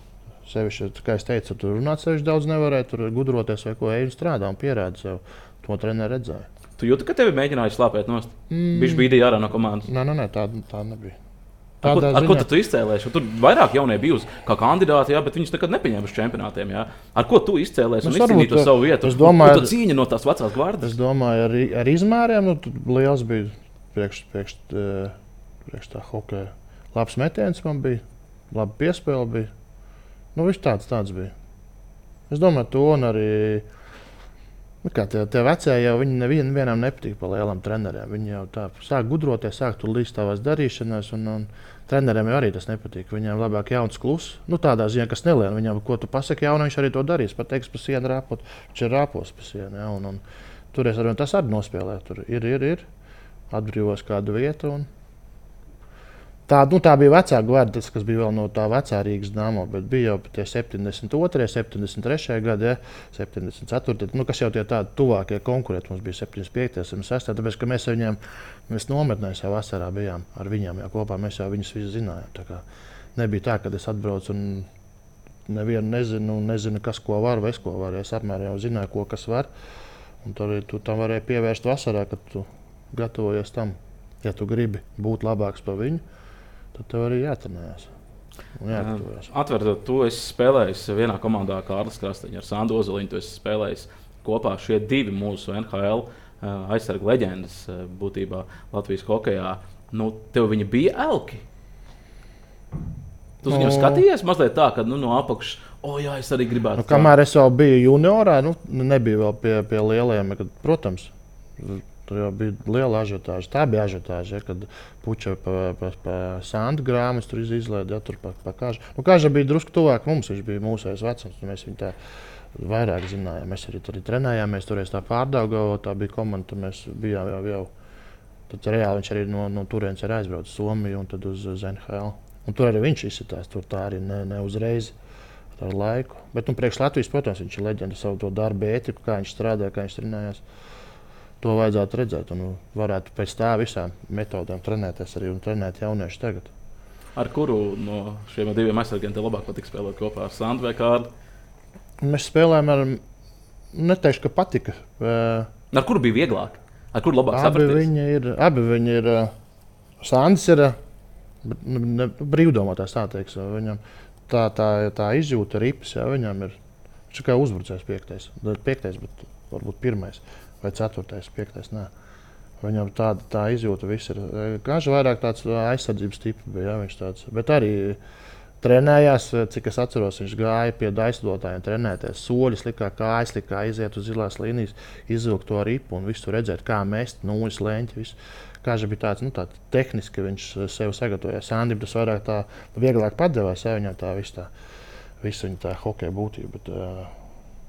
sevišķi, kā es teicu, tur runāt sevišķi daudz nevarēja, tur gudroties vai ko eju strādā un pierāda sev. To treneri redzēja. Tu jūti, ka tevi mēģināja slāpēt nost? Bišķi bīdīja ārā no komandas? Nē, tā nebija. Ar ko tu izcēlēsi? Tur vairāk jaunie bijusi kā kandidāti, jā, bet viņus nekad nepieņēma uz čempionātiem. Jā. Ar ko tu izcēlēsi un izcīnīji to savu vietu? Es domāju, tu cīņa no tās vecās gvardas. Es domāju, ar izmēriem liels bija priekš tā hokeja. Labs metiens man bija, labi piespēle bija. Viss tāds bija. Es domāju, to un arī tie vecie jau nevienam nepatīk pa lielam treneriem. Viņi jau tā sāk gudroties, sāk tur līdz tavās darīšanās. Un treneriem jau arī tas nepatīk. Viņiem labāk jauns kluss. Tādā ziņā, kas nelien. Viņam, ko tu pasaki jaunu, viņš arī to darīs. Pateiks pa sienu rāpot. Viņš ir rāpos pa sienu. Ja, un toreiz tas arī nospēlē. Tur ir. Atbrīvos kādu vietu. Tā bija vecā gvarda, kas bija vēl no tā vecā Rīgas Dāmo, bet bija jau tie 72, 73 gadi, ja, 74, kas jau tie tādi tuvākie konkurenti. Mums bija 75, 76, tāpēc, ka mēs nometnēs jau vasarā bijām ar viņiem, jau kopā mēs jau viņus visus zinājām. Tā kā nebija tā, ka es atbraucu un nevienu nezinu, kas ko var vai es ko varu. Es apmēram jau zināju, ko kas var. Un tur arī tu tam varēji pievērst vasarā, kad tu gatavojies tam. Ja tu gribi būt labāks par viņu, tad tev arī jātrenējas. Atverot, tu esi spēlējis vienā komandā Kārlis Krasteņš ar Sandu Ozoliņu. Tu esi spēlējis kopā šie divi mūsu NHL aizsargu leģendas būtībā Latvijas hokejā. Nu, tev viņi bija elki? Tu viņam skatījies mazliet tā, ka no apakšas, jā, es arī gribētu. Kamēr es vēl biju juniorā, nebija vēl pie lielajiem, kad, protams, tur jau bija liela ažiotāža. Tā bija ažiotāža, kad puča pa Sandu grāmatas tur izlaida, tur pa Kažu. Kaža bija drusku tuvāk mums, viņš bija mūsējais vecums, mēs viņu tā vairāk zinājām. Mēs arī tur trenējāmies, toreiz tā Pārdaugavā, tā bija komanda, tur mēs bijām jau. Tad reāli viņš arī no turienes ir aizbraucis Somiju un tad uz NHL. Un tur arī viņš izsitās, tur tā arī ne uzreiz ar laiku. Bet priekš Latvijas, protams, viņš ir leģenda savu to darbu ētiku, kā viņš strādāja, kā viņš trenējās. To vajadzētu redzēt un varētu pēc tā visām metodēm trenēties arī un trenēt jaunieši tagad. Ar kuru no šiem diviem aizsargiem tev labāk patika spēlēt kopā ar Sandu vai Kārli? Mēs spēlējām ar, neteikšu, ka patika. Ar kuru bija vieglāk? Ar kuru labāk sapraties? Abi viņi ir, Sandis ir brīvdomātājs, tā teiks. Viņam tā izjūta ripas, viņam ir, viņš ir kā uzbrucējs piektais, bet varbūt pirmais. Vai 4. 5. Nē. Viņam tā izjūta viss ir. Kaža vairāk tāds aizsardzības tips bija, viņš tāds. Bet arī trenējās, cik es atceros, viņš gāja pie aizsardzotājiem trenēties. Soļus likā, kājas likā, iziet uz zilās līnijas, izvilkt to ripu un visu redzēt, kā mest, nūjas, leņķi, visu. Kaža bija tāds tehniski, viņš sev sagatavoja. Sandim tas vairāk tā vieglāk padevās, viņam tā visu viņa tā hokeja būtība. Bet,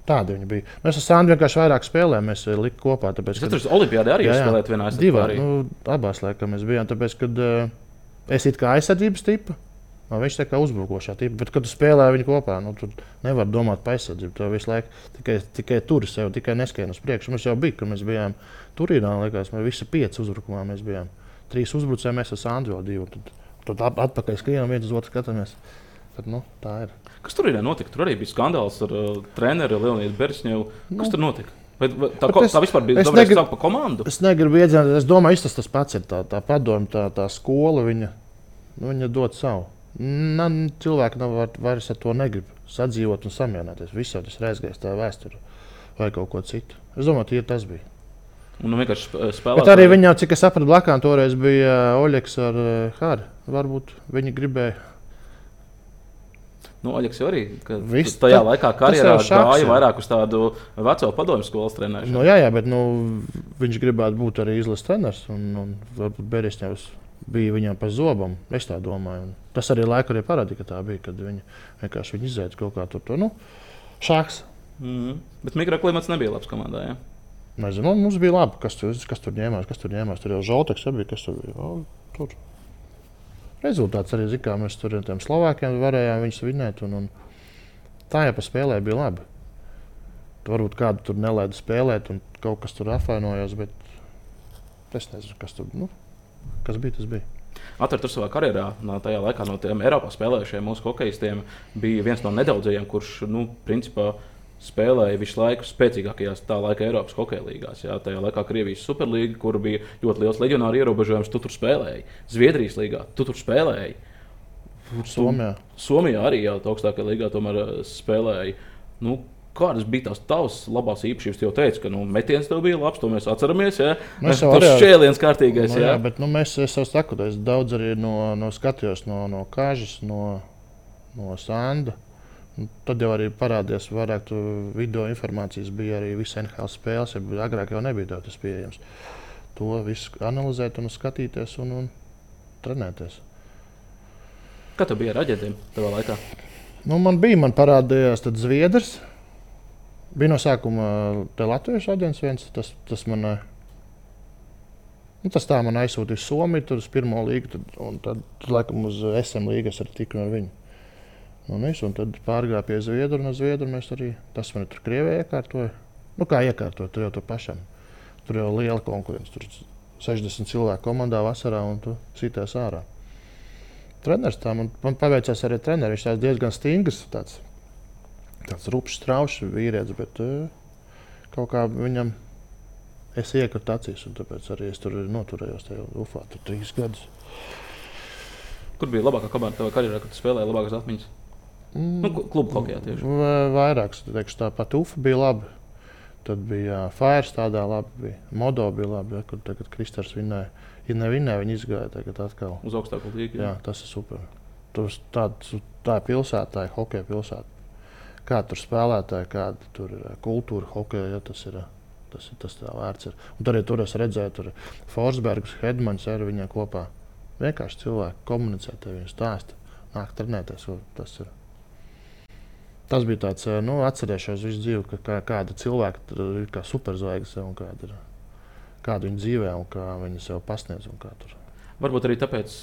tādi viņi bija. Mēs ar Sandu vienkārši vairāk spēlējām, mēs likām kopā. Tāpēc, kad tur Olimpiādē arī spēlēt vienā aizsardzībā? Abās laikam mēs bijām, tāpēc, kad es it kā aizsardzības tipa, viņš tā kā uzbrukošā tipa, bet kad tu spēlē viņu kopā, tu nevar domāt par aizsardzību. Tu visu laiku tikai turi sev, tikai neskrien uz priekšu. Mums jau bija, kad mēs bijām Turīnā, likās, mēs visi 5 uzbrukumā mēs bijām. 3 uzbrucēji, mēs ar Sandu vēl 2. Tad atpakaļ skrienam viens uz otru skatāmies. Tad, tā ir. Kas tur ir notika? Tur arī bija skandāls ar treneri Leonidu Beresņevu. Kas tur notika? Tā vispār bija domāta par komandu? Es negribu iedzināties. Es domāju, tas pats ir tā padome, tā skola. Viņa dod savu. Cilvēki vairs ar to negrib sadzīvot un samierināties. Viss jau tas ir aizgājis, tā vēsture vai kaut ko citu. Es domāju, tas bija. Un vienkārši spēlēt. Bet arī viņam, cik es sapratu, blakām toreiz bija Oļeks ar Hāri. Varbūt viņi gribēja. Oļeks jau arī tajā laikā karjerā gāja vairāk uz tādu veco padomju skolas trenēšanu. Jā, bet viņš gribētu būt arī izlases treneris. Un varbūt Beresņevs bija viņam pa zobam. Es tā domāju. Un tas arī laiku arī parādīja, ka tā bija, kad viņi vienkārši izēta kaut kā tur. Šāks. Bet mikroklimats nebija labs komandā, jā? Nezinu, mums bija labi, kas tur ņēmās. Tur jau Žolteks bija, kas tur bija. Tur. Rezultāts arī, kā mēs tur ar tiem Slovākiem varējām viņus vinēt. Un tā jau pa spēlē bija labi. Varbūt kādu tur nelaida spēlēt un kaut kas tur apvainojās, bet es nezinu, kas tur kas bija, tas bija. Atver tur savā karjerā, tajā laikā no tiem Eiropā spēlējušiem mūsu hokejistiem bija viens no nedaudzajiem, kurš, principā, spēlēja visu laiku spēcīgākajās tā laika Eiropas hokeja līgās. Jā, tajā laikā Krievijas Superlīga, kur bija ļoti liels leģionāru ierobežojums, tu tur spēlēji. Zviedrijas līgā, tu tur spēlēji. Somijā arī jau augstākajā līgā tomēr spēlēji. Kādas bija tavas labās īpašības? Tu jau teici, ka metiens tev bija labs, to mēs atceramies. Ja? Tas šķēliens kārtīgais. Jā, bet es jau saku, es daudz arī skatījos no Kažas, no Sanda. Tad jau arī parādījās vairāk video informācijas, bija arī visi NHL spēles, agrāk jau nebija tas pieejams. To visu analizēt un skatīties un trenēties. Kā tev bija ar aģentiem tavā laikā? Man parādījās tad Zviedrs. Bija no sākuma te latviešu aģents viens, tas man aizsūtīja Somiju, tur uz pirmo līgu, un tad laikam uz SM līgas arī tiku ar viņu. Un tad pārgāja pie Zviedru, un Zviedru mēs arī, tas man tur Krievijā iekārtoja. Kā iekārtoja, tur jau to pašam. Tur jau liela konkurence, tur 60 cilvēku komandā vasarā, un tu sitēs ārā. Treneris tā, man paveicās arī treneri, viņš tāds diezgan stingrs, tāds rupšs, straušs vīrietis, bet kaut kā viņam Es iekratu acīs, un tāpēc arī es tur noturējos tajā Ufā 3 gadus. Kur bija labākā komanda tavā karjerā, kad tu spēlēji labākās atmiņas? Klubu hokejā tieši. Vairāks, teikšu, tāpat Ufa bija labi. Tad bija Fairs tādā labi, bija Modo bija labi, kur tagad Kristers vinnēja. Ja nevinnēja, viņi izgāja tagad atkal. Uz augstāko līgu. Jā, tas ir super. Tā ir pilsēta, tā ir hokeja pilsēta. Kā tur spēlētāji, kāda tur ir kultūra hokeja, ja tas ir tā vērts. Un tur es redzēju, tur Forsbergs, Hedmans ar viņiem kopā. Vienkārši cilvēki komunicē, viņi stāsta, nāk trenēties. Tas bija tāds, atcerēšos visu dzīvi, kāda cilvēka ir kā superzvaigznes un kāda viņa dzīvē un kā viņa sev pasniedz. Varbūt arī tāpēc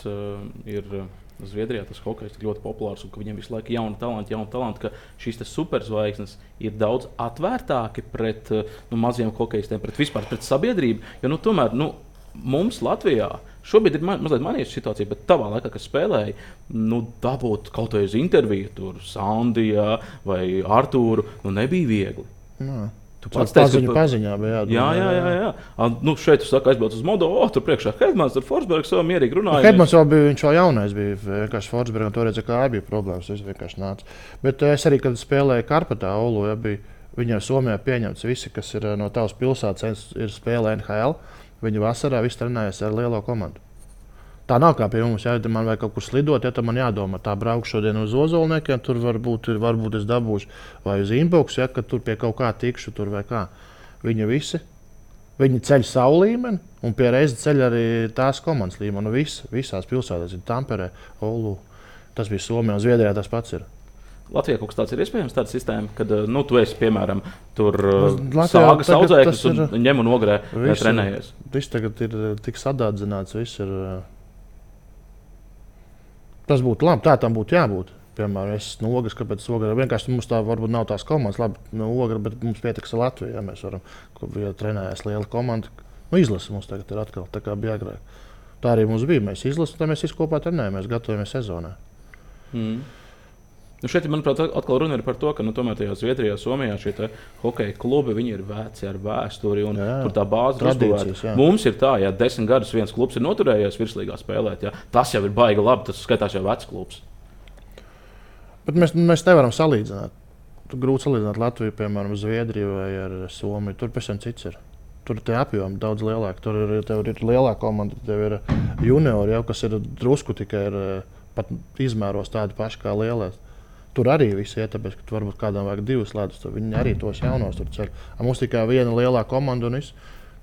ir Zviedrijā tas hokejs tik ļoti populārs un ka viņiem visu laiku jauni talanti, ka šīs superzvaigznes ir daudz atvērtāki pret maziem hokejistiem, pret sabiedrību. Jo tomēr mums Latvijā šobrīd ir mazliet mainījusies situācija, bet tavā laikā, kad spēlēji, dabūt kaut kādu interviju tur Sandijā vai Artūru, nebija viegli. Nā. Tu pats teici, ka paziņā bija jā. Šeit tu saki, aizbrauc uz Modo, tur priekšā Hedmans, tur Forsbergs vēl mierīgi runāja. Hedmans viņš vēl jaunais bija, vienkārši Forsbergs, un toreiz kā bija problēmas, es vienkārši nācu. Bet es arī, kad spēlēju Karpatā, Oulu, viņiem Somijā pieņemts visi, kas ir no tavas pilsētas, ir spēlē NHL, viņi vasarā visi trenējas ar lielo komandu. Tā nav kā pie mums, ja man vajag kaut kur slidot, ja tad man jādomā, tā braukšu šodien uz Ozolniekiem, tur varbūt es dabūšu, vai uz Inbox, ja, kad tur pie kaut kā tikšu, tur vai kā. Viņi ceļ savu līmeni, un pie reizes ceļ arī tās komandas līmeni. Visās pilsētās ir Tamperē, Oulu, tas bija Somijā, un Zviedrijā tas pats ir. Latvijā kaut kas tāds ir iespējams, tāda sistēma, kad tu esi, piemēram, tur sāgas audzēknis un ņem un ogrē trenējies. Viss tagad ir tik sadārdzināts, viss ir. Tas būtu labi, tā tam būtu jābūt. Piemēram, es esmu ogres, kāpēc ogre. Vienkārši mums tā varbūt nav tās komandas, labi, ogre, bet mums pietiks Latvijā. Ja mēs varam, ja trenējas liela komanda. Izlase mums tagad ir atkal, tā kā bija agrāk. Tā arī mums bija, mēs izlasām, tad mēs visi kopā trenējamies, gatavojamies sezonai. Šeit, manuprāt, atkal runa ir par to, ka tomēr tajā Zviedrijā, Somijā šie hokeja klubi, viņi ir veci ar vēsturi un tur tā bāze ir uzbūvēta. Mums ir tā, ja 10 gadus viens klubs ir noturējies virslīgā spēlēt, tas jau ir baigi labi, tas skaitās jau vecs klubs. Bet mēs nevaram salīdzināt. Grūti salīdzināt Latviju, piemēram, Zviedriju vai ar Somiju. Tur pēc tam cits ir. Tur ir tie apjomi daudz lielāki. Tur ir lielā komanda, tev ir juniori, jau, kas ir drusku tikai pat izmēros tādi paši kā lielais. Tur arī viss ir, tāpēc, ka varbūt kādam vajag 2 ledus, tad viņi arī tos jaunos tur ceļ. Mums tikai viena lielā komanda un viss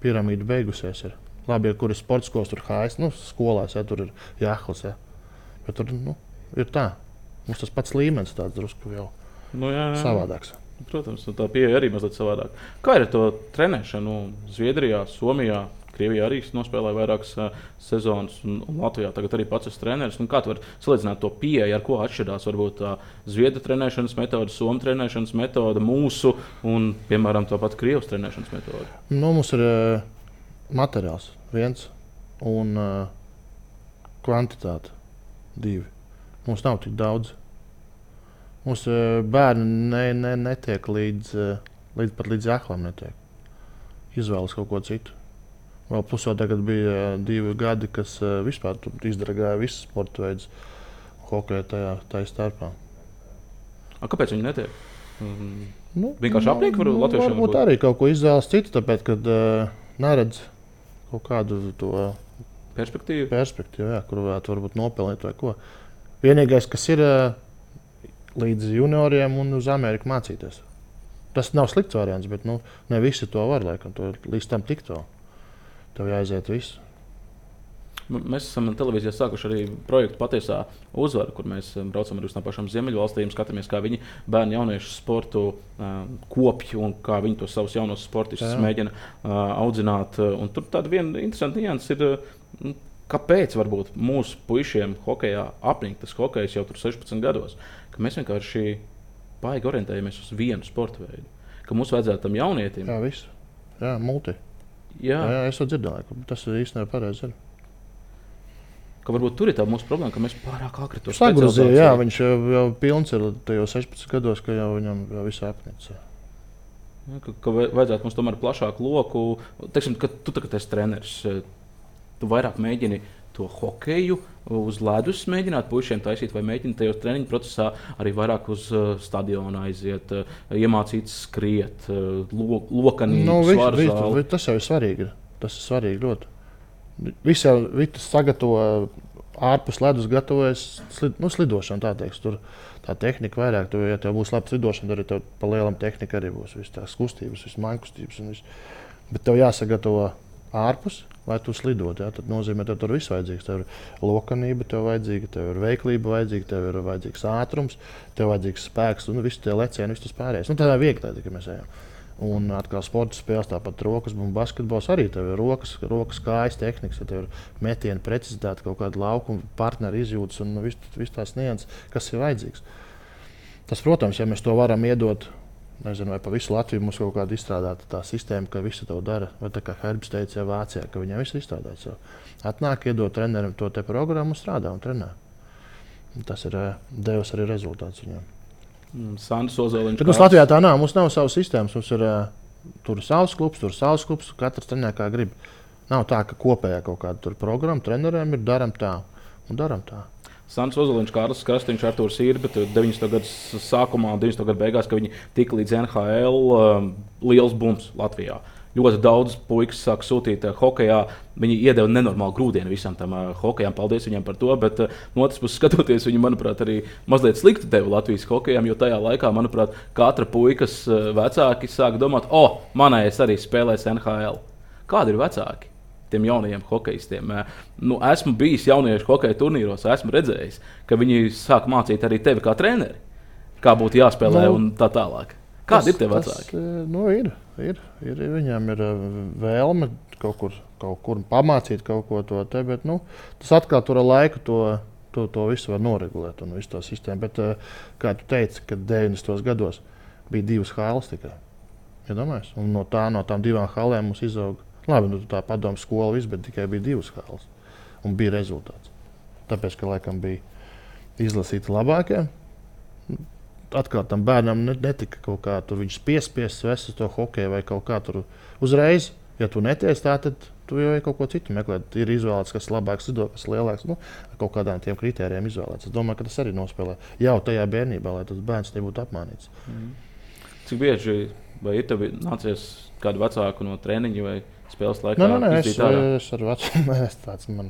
piramīda beigusies. Ir. Labi, kur ir sports skolas, tur HS, skolās, tur ir jāhlas. Bet tur ir tā. Mums tas pats līmenis tāds drusku jau savādāks. Protams, tā pieeja arī mazliet savādāk. Kā ir ar to trenēšanu Zviedrijā, Somijā? Krievijā arī nospēlēja vairākas sezonas, un Latvijā tagad arī pats esmu treneris. Kā tu vari salīdzināt to pieeju, ar ko atšķirās varbūt tā Zviedru trenēšanas metode, Somu trenēšanas metode, mūsu un, piemēram, to pat Krievijas trenēšanas metode? Mums ir materiāls 1 un kvantitāte 2. Mums nav tik daudz. Mums bērni netiek līdz aklam netiek. Izvēlas kaut ko citu. Vēl pusot tagad bija 2 gadi, kas vispār izdarīja visus sporta veidus hokeja tajā starpā. Kāpēc viņi netiek? Vienkārši apniek var latviešiem? Varbūt arī kaut ko izvēlas citu, tāpēc, kad neredz kaut kādu to perspektīvu, jā, kur varbūt nopelnīt vai ko. Vienīgais, kas ir līdz junioriem un uz Ameriku mācīties. Tas nav slikts variants, bet ne visi to var, laikam, līdz tam tikt vēl. Tev jāaiziet visu. Mēs esam televīzijā sākuši arī projektu Patiesā uzvara, kur mēs braucam arī uz tām pašām Ziemeļvalstīm, skatāmies, kā viņi bērnu jauniešu sportu kopj un kā viņi tos savus jaunos sportistus mēģina audzināt. Un tur tāda viena interesanta nianses ir, kāpēc varbūt mūsu puišiem hokejā apnīk tas hokejs jau tur 16 gados, ka mēs vienkārši baigi orientējamies uz vienu sporta veidu, ka mums vajadzētu tam jaunietim. Jā, visu. Jā, multi. Jā, es to dzirdēju, ka tas ir īstenībā pareizi. Ka varbūt tur ir tā mūsu problēma, ka mēs pārāk ātri to sagrozījām. Jā, viņš jau pilns ir tajos 16 gados, ka jau viņam jau viss apnicis. Ka vajadzētu mums tomēr plašāku loku. Teiksim, ka tu tagad esi treneris, tu vairāk mēģini to hokeju uz ledus mēģināt puišiem taisīt, vai mēģini tajos treniņu procesā arī vairāk uz stadionu aiziet, iemācīt skriet, lokanīt, svaru zāli. Tas jau ir svarīgi. Tas ir svarīgi ļoti. Viss sagatavo ārpus ledus, gatavojas slidošanu, tā teiks. Tur tā tehnika vairāk, ja tev būs laba slidošana, tad tev pa lielam tehnika arī būs visas tās kustības, visas mainkustības. Bet tev jāsagatavo ārpus, lai tu slidot. Ja? Tad nozīmē, ka tur viss vajadzīgs. Tev ir lokanība, tev ir veiklība vajadzīga, tev ir vajadzīgs ātrums, tev ir vajadzīgs spēks un visi tie lecieni, viss tas pārējais. Tā ir viegli, ka mēs ejam. Un atkal sporta spēles, tāpat rokas, un basketbols arī tev ir rokas kājas tehnikas, ja tev ir metiena precizitāte, kaut kāda laukuma partneri izjūtas un viss tās nianses, kas ir vajadzīgs. Tas, protams, ja mēs to varam iedot, nezinu, vai pa visu Latviju mums kaut kāda izstrādāta tā sistēma, ka visu to dara, vai tā kā Herbs teica, ja Vācijā, ka viņiem viss ir izstrādāts. Atnāk, iedot trenerim to te programmu un strādā un trenē. Un tas ir devis arī rezultāts viņiem. Sandrs Ozoliņš. Bet mums Latvijā tā nav. Mums nav savas sistēmas. Mums ir tur savs klubs, katrs trenē kā grib. Nav tā, ka kopējā kaut kāda programma treneriem ir darām tā un darām tā. Sandrs Ozoliņš, Kārlis Krastīņš, Artūrs Irbe, 90. gadu sākumā un 90. gadu beigās, kad viņi tika līdz NHL, liels bums Latvijā. Ļoti daudz puikas sāk sūtīt hokejā. Viņi iedeva nenormālu grūdienu visam tam hokejam. Paldies viņiem par to. Bet no otras puses, skatoties, viņi, manuprāt, arī mazliet slikti deva Latvijas hokejam. Jo tajā laikā, manuprāt, katra puikas vecāki sāk domāt, manējais arī spēlēs NHL. Kādi ir vecāki tiem jaunajiem hokejistiem? Esmu bijis jauniešu hokeja turnīros, esmu redzējis, ka viņi sāk mācīt arī tevi kā treneri, kā būtu jāspēlē un tā tālāk. Kādi ir tie vecāki? Ir. Viņiem ir vēlme kaut kur pamācīt kaut ko to te, bet tas atkal tur ar laiku to visu var noregulēt un visu to sistēmu. Bet, kā tu teici, kad 90. gados bija 2 halas tikai. Iedomājies? Un no tām 2 halēm mums izauga. Labi, tā padomu skola viss, bet tikai bija 2 halas. Un bija rezultāts. Tāpēc, ka laikam bija izlasīti labākie. Atkal tam bērnam netika kaut kā tur viņš piespiests vest uz to hokeju vai kaut kā tur uzreiz. Ja tu netiec tā, tad tu jau kaut ko citu meklēt. Ir izvēlēts, kas labāks lido, kas lielāks. Kaut kādām tiem kritērijiem izvēlēts. Es domāju, ka tas arī nospēlē jau tajā bērnībā, lai tas bērns nebūtu apmānīts. Cik bieži vai ir tev nācies kādu vecāku no treniņa vai spēles laikā? Es ar vecumu tāds man.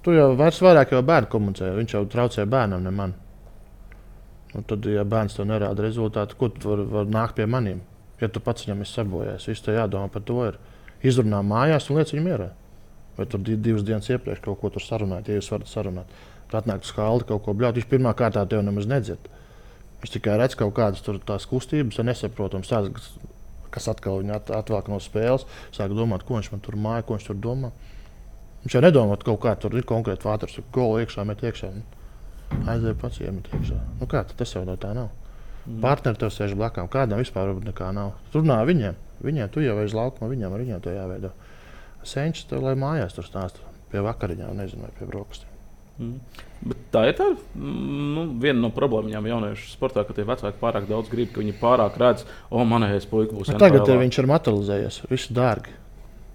Tur jau vairāk jau bērnu komunicē. Viņš jau traucē bērnam, ne man. Un tad, ja bērns tev nerāda rezultātu, ko tu var nākt pie maniem? Ja tu pats viņam esi sabojājis, viss tev jādomā par to. Izrunā mājās un liec viņu mierā. Vai tur 2 dienas iepriekš kaut ko tur sarunāt, ja jūs varat sarunāt. Tu atnāk uz skaldi kaut ko bļaut, viņš pirmā kārtā tev nemaz nedzird. Viņš tikai redz kaut kādas tur tās kustības, nesaprotams, kas atkal viņu atvelk no spēles. Sāk domāt, ko viņš man tur māja, ko viņš tur domā. Viņš jau nedomā, kaut kā tur ir konkrēti vāters, golu iekšā, met iekšā. Aizēja pats iemet iekšā. Kā tas jau no tā nav? Partneri tev sēž blakām. Kādam vispār nekā nav. Tur runā viņiem. Tu jau aiz laukuma, viņiem ar viņiem to jāveido. Senčs tev, lai mājās tur stāsta pie vakariņām, nezinu, vai pie brokastiem. Bet tā ir viena no problēmām jauniešu sportā, ka tie vecāki pārāk daudz grib, ka viņi pārāk redz, manējais puika būs NHL. Tagad viņš ir materializējies. Viss dārgi.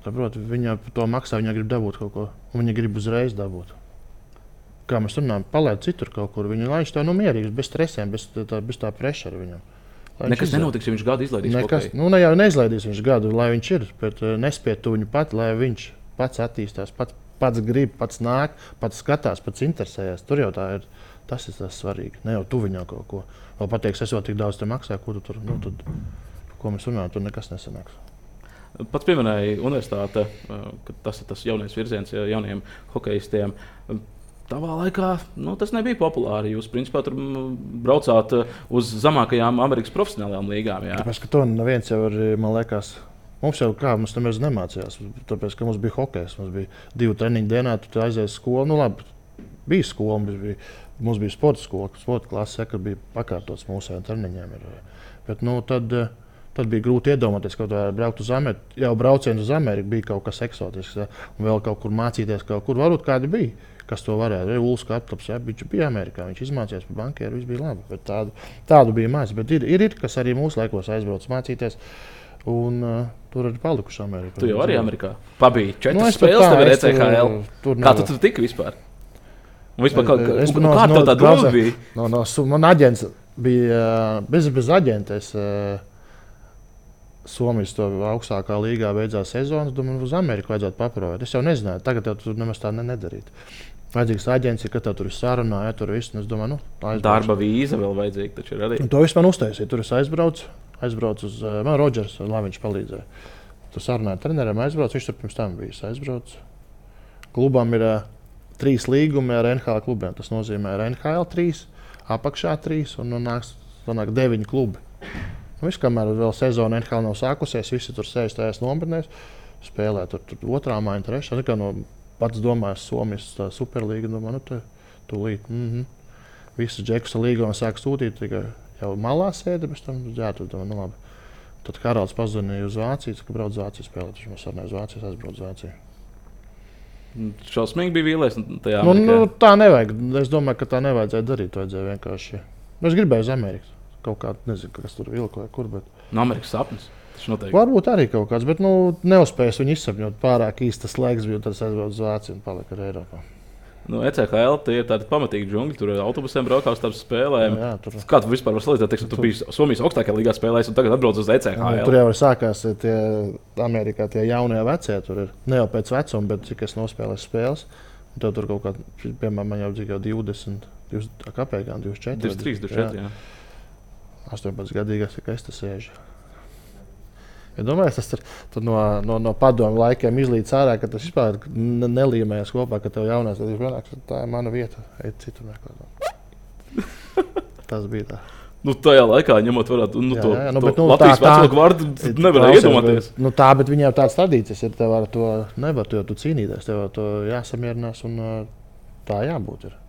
Saprot, viņa to maksā, viņa grib dabūt kaut ko. Un viņa grib uzreiz dabūt. Kā mēs runājam, palaid citur kaut kur. Lai viņš tā mierīgs, bez stresiem, bez tā pressura viņam. Nekas nenotiks, ja viņš gadu izlaidīs. Jau neizlaidīs viņš gadu, lai viņš ir, bet nespēj tu viņu pat, lai viņš pats attīstās, pats grib, pats nāk, pats skatās, pats interesējas. Tur jau tā ir, tas ir tas svarīgi. Ne jau tu viņam kaut ko. Vēl pateiks, es jau tik daudz te maksāju, ko tu tur, tad, ko mēs runājam, tur nekas nesanāks. Pats pieminēja universitāte, ka tas ir tas jaunais virziens jauniem hokejistiem. Tavā laikā tas nebija populāri. Jūs, principā, tur braucāt uz zemākajām Amerikas profesionālajām līgām. Jā. Tāpēc, ka to neviens jau ir, man liekas, mums jau kā, mums nemaz nemācījās. Tāpēc, ka mums bija hokejs, mums bija 2 treniņu dienā, tu aizies uz skolu. Labi, bija skola, mums bija sporta skola, sporta klase, kad bija pakārtots mūsējiem treniņiem. Bet, tad Tad bija grūti iedomāties, ka braukt uz Ameriku. Jau brauciens uz Ameriku bija kaut kas eksotisks. Ja? Un vēl kaut kur mācīties, kaut kur varbūt kādi bija, kas to varēja. Ulas Kaptops, ja? Viņš bija Amerikā, viņš izmācījās par bankieru, viss bija labi. Bet tādu bija maz. Bet ir, kas arī mūsu laikos aizbrauc mācīties. Un tur arī palikuši Amerikā. Tu jau arī Amerikā pabiji 4 spēles, tev ir ECHL. Kā tu tur tiki vispār? Un vispār kā tev tā doma bija? Man aģents bija bez aģenta. Somijas augstākā līgā beidzās sezonas, domāju, uz Ameriku vajadzētu paprovēt. Es jau nezināju, tagad jau tur nemaz tā nedarīt. Vajadzīgs aģents, ka tur ir sarunā, ja tur viss, es domāju, aizbraucu. Darba vīza vēl vajadzīga, taču ir arī. Un to visu man uztaisīja, tur es aizbraucu uz, man Rodžers, lai viņš palīdzēja. Tur sarunāja treneriem, aizbraucu, viņš tur pirms tam bija aizbraucu. Klubam ir 3 līgumi ar NHL klubiem, tas nozīmē NHL 3, apakšā 3 un nāk 9 klubi. Viss, kamēr vēl sezona NHL nav sākusies, visi tur sēž tajās nometnēs, spēlē tur otrā māja, trešā. Tā kā pats domāju, Somijas superlīga, domāju, tūlīt. Visus džekus līgā sāk sūtīt, tikai jau malā sēdi, bet tam tur domāju, labi. Tad Karals pazvanīja uz Vāciju, ka brauc uz Vāciju spēlēt. Viņš man sarunāja uz Vāciju, aizbrauc uz Vāciju. Šausmīgi bija vīlies tajā tā nevajag. Es domāju, ka tā nevajadzēja darīt, vajadzēja vienkārši. Es gribēju uz Ameriku. Kaut kā, nezinu, kas tur vilka vai kur, bet... No Amerikas sapnis, tas noteikti. Varbūt arī kaut kāds, bet neuzspējas viņu izsapņot pārāk īstas laiks, bija tad aizbrauc uz Vāciju un palika ar Eiropā. ECHL tie ir tādi pamatīgi džungļi, tur autobusiem braukā uz tām spēlēm. Jā, tur... Kā tu vispār var salīdzināt, teiksim, tu biji Somijas augstākajā līgā spēlējis un tagad atbrauc uz ECHL? Tur jau sākās tie Amerikā tie jaunie vecie, tur ir ne jau pēc vecuma, bet cik es nospēlēju spēles. Un tev tur kaut kā, piemēram, man jau dzīvo 20, kāpēc, 24. 23, 24, jā. 18 gadīgais, ka es te sēžu. Ja domāju, tas tur no padomu laikiem izlīdz ārā, ka tas vispār nelīmējas kopā, ka tev jaunās, tad vienāks, tā ir mana vieta, eit citur meklēt. Tas bija tā. Tajā laikā, ņemot vērā to Latvijas vecāku vārdu, nevarēja iedomāties. Tā, bet viņiem tāds tradīcijas ir, tev ar to nevar tu cīnīties, tev ar to jāsamierinās un tā jābūt ir.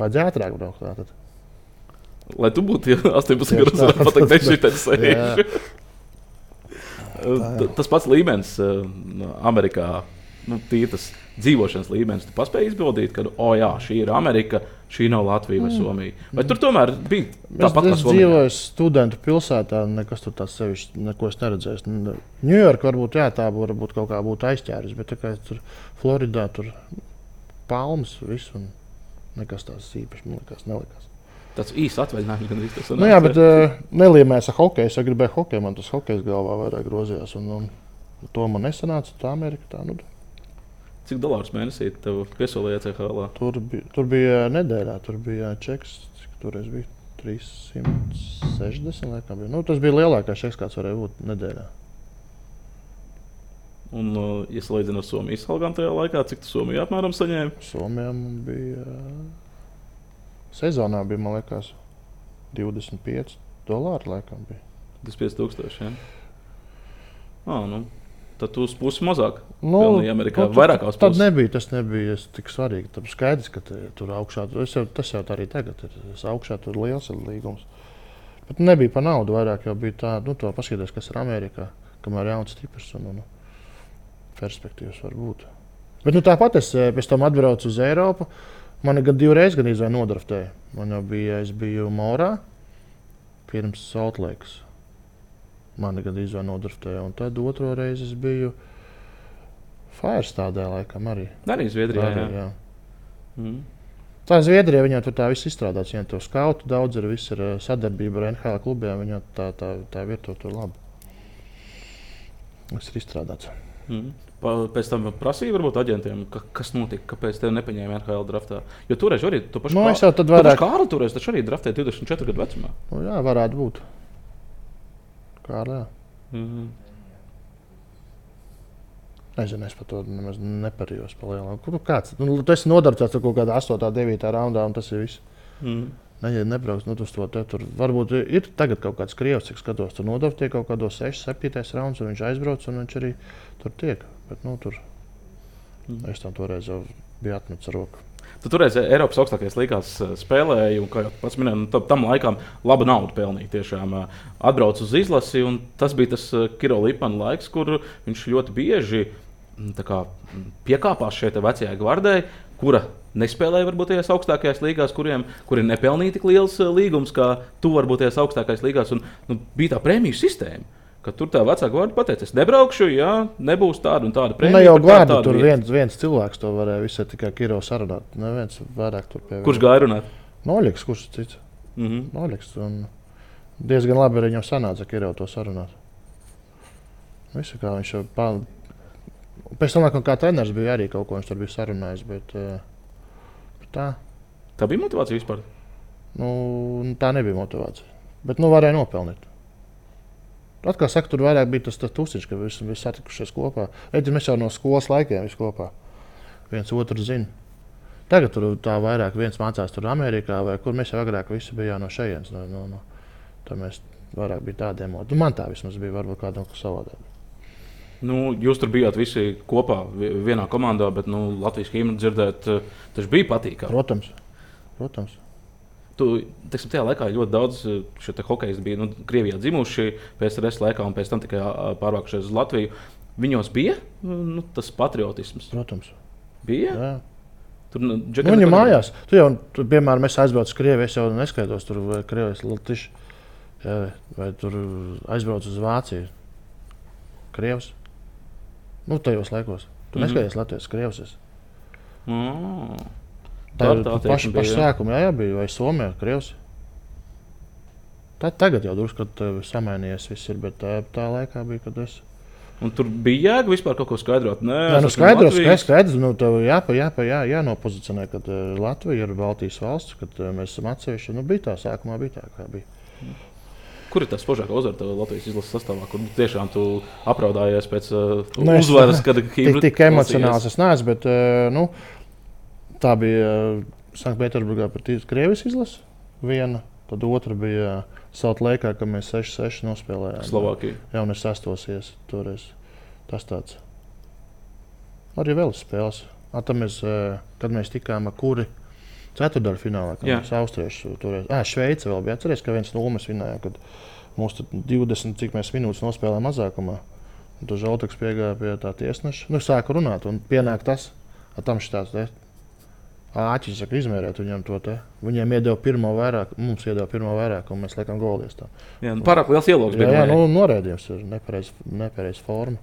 Vajadzēja ātrāk braukt tātad. Lai tu būtu 18 gadus, varētu pateikt, es šitais sēžu. Tas pats līmenis Amerikā, tas dzīvošanas līmenis, tu paspēji izbaudīt, ka, šī ir Amerika, šī nav Latvija vai Somija. Vai tur tomēr bija tāpat kā Somijā? Es dzīvoju studentu pilsētā, nekas tur tāds sevišķi, neko es neredzēju. Ņujorka varbūt, tā varbūt kaut kā būtu aizķēris, bet tā kā tur Floridā, tur palmas viss un nekas tās īpaši, man nelikās. Tas īsts atvaļinājums gan tas sanāca. Jā, bet nelīmēs ar hokeju. Es gribēju hokeju, man tas hokejs galvā vairāk grozījās. Un to man nesanāca, tā Amerika tā. Cik dolārus mēnesī tev piesolīja ECHL? Tur bija nedēļā, tur bija čeks, cik toreiz bija 360 laikam bija. Tas bija lielākais čeks, kāds varēja būt nedēļā. Un, ja salīdzinām ar Somijas algām tajā laikā, cik tu Somijā apmēram saņēmi? Somijā man bija... Sezonā bija, man liekas, $25 laikam bija. 25,000, jā? Tad tu uz pusi mazāk pelnīji Amerikā, vairākās puses. Tas nebija tik svarīgi. Tad skaidrs, ka tur augšā, tas jau tā arī tagad ir. Augšā tur liels ir līgums. Bet nebija pa naudu vairāk, jau bija tā, to paskaties, kas ir Amerikā, kamēr jauns stiprs un perspektīvas var būt. Bet tāpat es pēc tam atbraucu uz Eiropu. Mani gan 2 reizes izvēja nodraftēja. Es biju Morā pirms Salt Lakes. Mani gan izvēja nodraftēja. Un tad 2. reizi es biju Firestādē laikam arī. Arī Zviedrijā, jā. Tā Zviedrija, viņā tur tā viss izstrādāts. Viņā to skautu daudz ir, viss ir sadarbība ar NHL klubiem. Viņā tā vieta tur labi. Viss ir izstrādāts. Pēc tam prasīja varbūt aģentiem, kas notika, kāpēc tev nepaņēma NHL draftā. Jo toreiz arī tu pašu Kārli toreiz taču arī draftēja 24 gadu vecumā. Jā, varētu būt. Kārli, jā. Nezinu, es par to nemaz neparījos pa lielām. Tu esi nodarbots ar kaut kādā 8. 9. raundā un tas ir viss. Nebrauks, uz to te tur. Varbūt ir tagad kaut kāds krievs, cik skatos, tur nodarbtie kaut kādos 6, 7. raunds, un viņš aizbrauc, un viņš arī tur tiek. Bet, tur es tam toreiz jau biju atmetis ar roku. Tu toreiz Eiropas augstākajās līgās spēlēji, un, kā jau pats minēji, tam laikam laba nauda pelnīja. Tiešām atbrauc uz izlasi, un tas bija tas Kiro Lipana laiks, kur viņš ļoti bieži piekāpās šeit vecajai gvardai, kura nespēlēja varbūt tajās augstākajās līgās, kuri nepelnīja tik liels līgums, kā tu varbūt tajās augstākajās līgās. Un, bija tā prēmiju sistēma, ka tur tā vecā gvarda pateica, es nebraukšu, ja nebūs tāda un tāda prēmija. Ne jau gvarda, tur viens cilvēks to varēja visai tikai Kiro sarunāt. Neviens vairāk tur pievienot. Kurš gāja runāt? Noļiks, kurš cits? Noļiks. Diezgan labi arī viņam sanāca Kiro to sarunāt. Visu kā viņš jau pēc tam, kā treneris bija arī kaut ko viņš tur bija sarunājis, bet tā. Tā bija motivācija vispār? Tā nebija motivācija, bet varēja nopelnīt. Atkal saka, tur vairāk bija tas tusiņš, ka visi satikušies kopā. Mēs jau no skolas laikiem visi kopā. Viens otru zina. Tagad tur tā vairāk viens mācās tur Amerikā, vai kur mēs jau agrāk visi bijām no šejienes. Tā mēs vairāk bija tādiem emoti. Man tā vismaz bija varbūt kādam savādāk. Jūs tur bijāt visi kopā vienā komandā, bet Latvijas himnu dzirdēt, tas bija patīkami. Protams. Tajā laikā ļoti daudz hokejisti bija Krievijā dzimuši PSRS laikā un pēc tam tikai pārvākušies uz Latviju. Viņos bija tas patriotisms? Protams. Bija? Jā. Viņa mājās. Piemēram, es aizbraucu uz Krieviju, es jau neskaitos tur vai Krievijas Latviši, vai tur aizbraucu uz Vāciju. Krievs. Tajos laikos. Tu neskaties Latvijas Krievs. Tā ir paša sākuma, jā, bija, vai Somijā, Krievs. Tagad jau drusku, kad samainījies viss ir, bet tā laikā bija, kad es. Un tur bija jēga vispār kaut ko skaidrot? Nē, skaidrs, tev jānopozicionē, kad Latvija ir Baltijas valsts, kad mēs esam atsevišķi. Bija tā, sākumā bija tā, kā bija. Kur ir tā spožākā uzvara Latvijas izlases sastāvā, kur tiešām tu apraudājies pēc uzvaras, kad himnu? Tik emocionāls es neesmu, bet, tā bija Sanktpēterburgā pret Krievijas izlasi viena, tad otra bija Salt Lake'ā, kad mēs 6-6 nospēlējām. Slovākija. Jā, un es sastosies toreiz. Tas tāds. Arī vēl spēles. Kad mēs tikām kuri ceturtdaļu finālā, kad mēs austrieši toreiz. Šveice vēl bija. Atceries, ka 1-0 mēs vinējām, kad mums 20 cik mēs minūtes nospēlējām mazākumā. Un tad Žaltaks piegāja pie tā tiesneša. Sāka runāt un pienāk tas. Tam šitāds āķis saka izmērēt viņam to te. Viņiem iedeva pirmo vairāk, mums iedeva pirmo vairāk, un mēs liekam golies tā. Jā, pārāk liels ielogs bija. Jā, norēdījums ir nepareiz forma.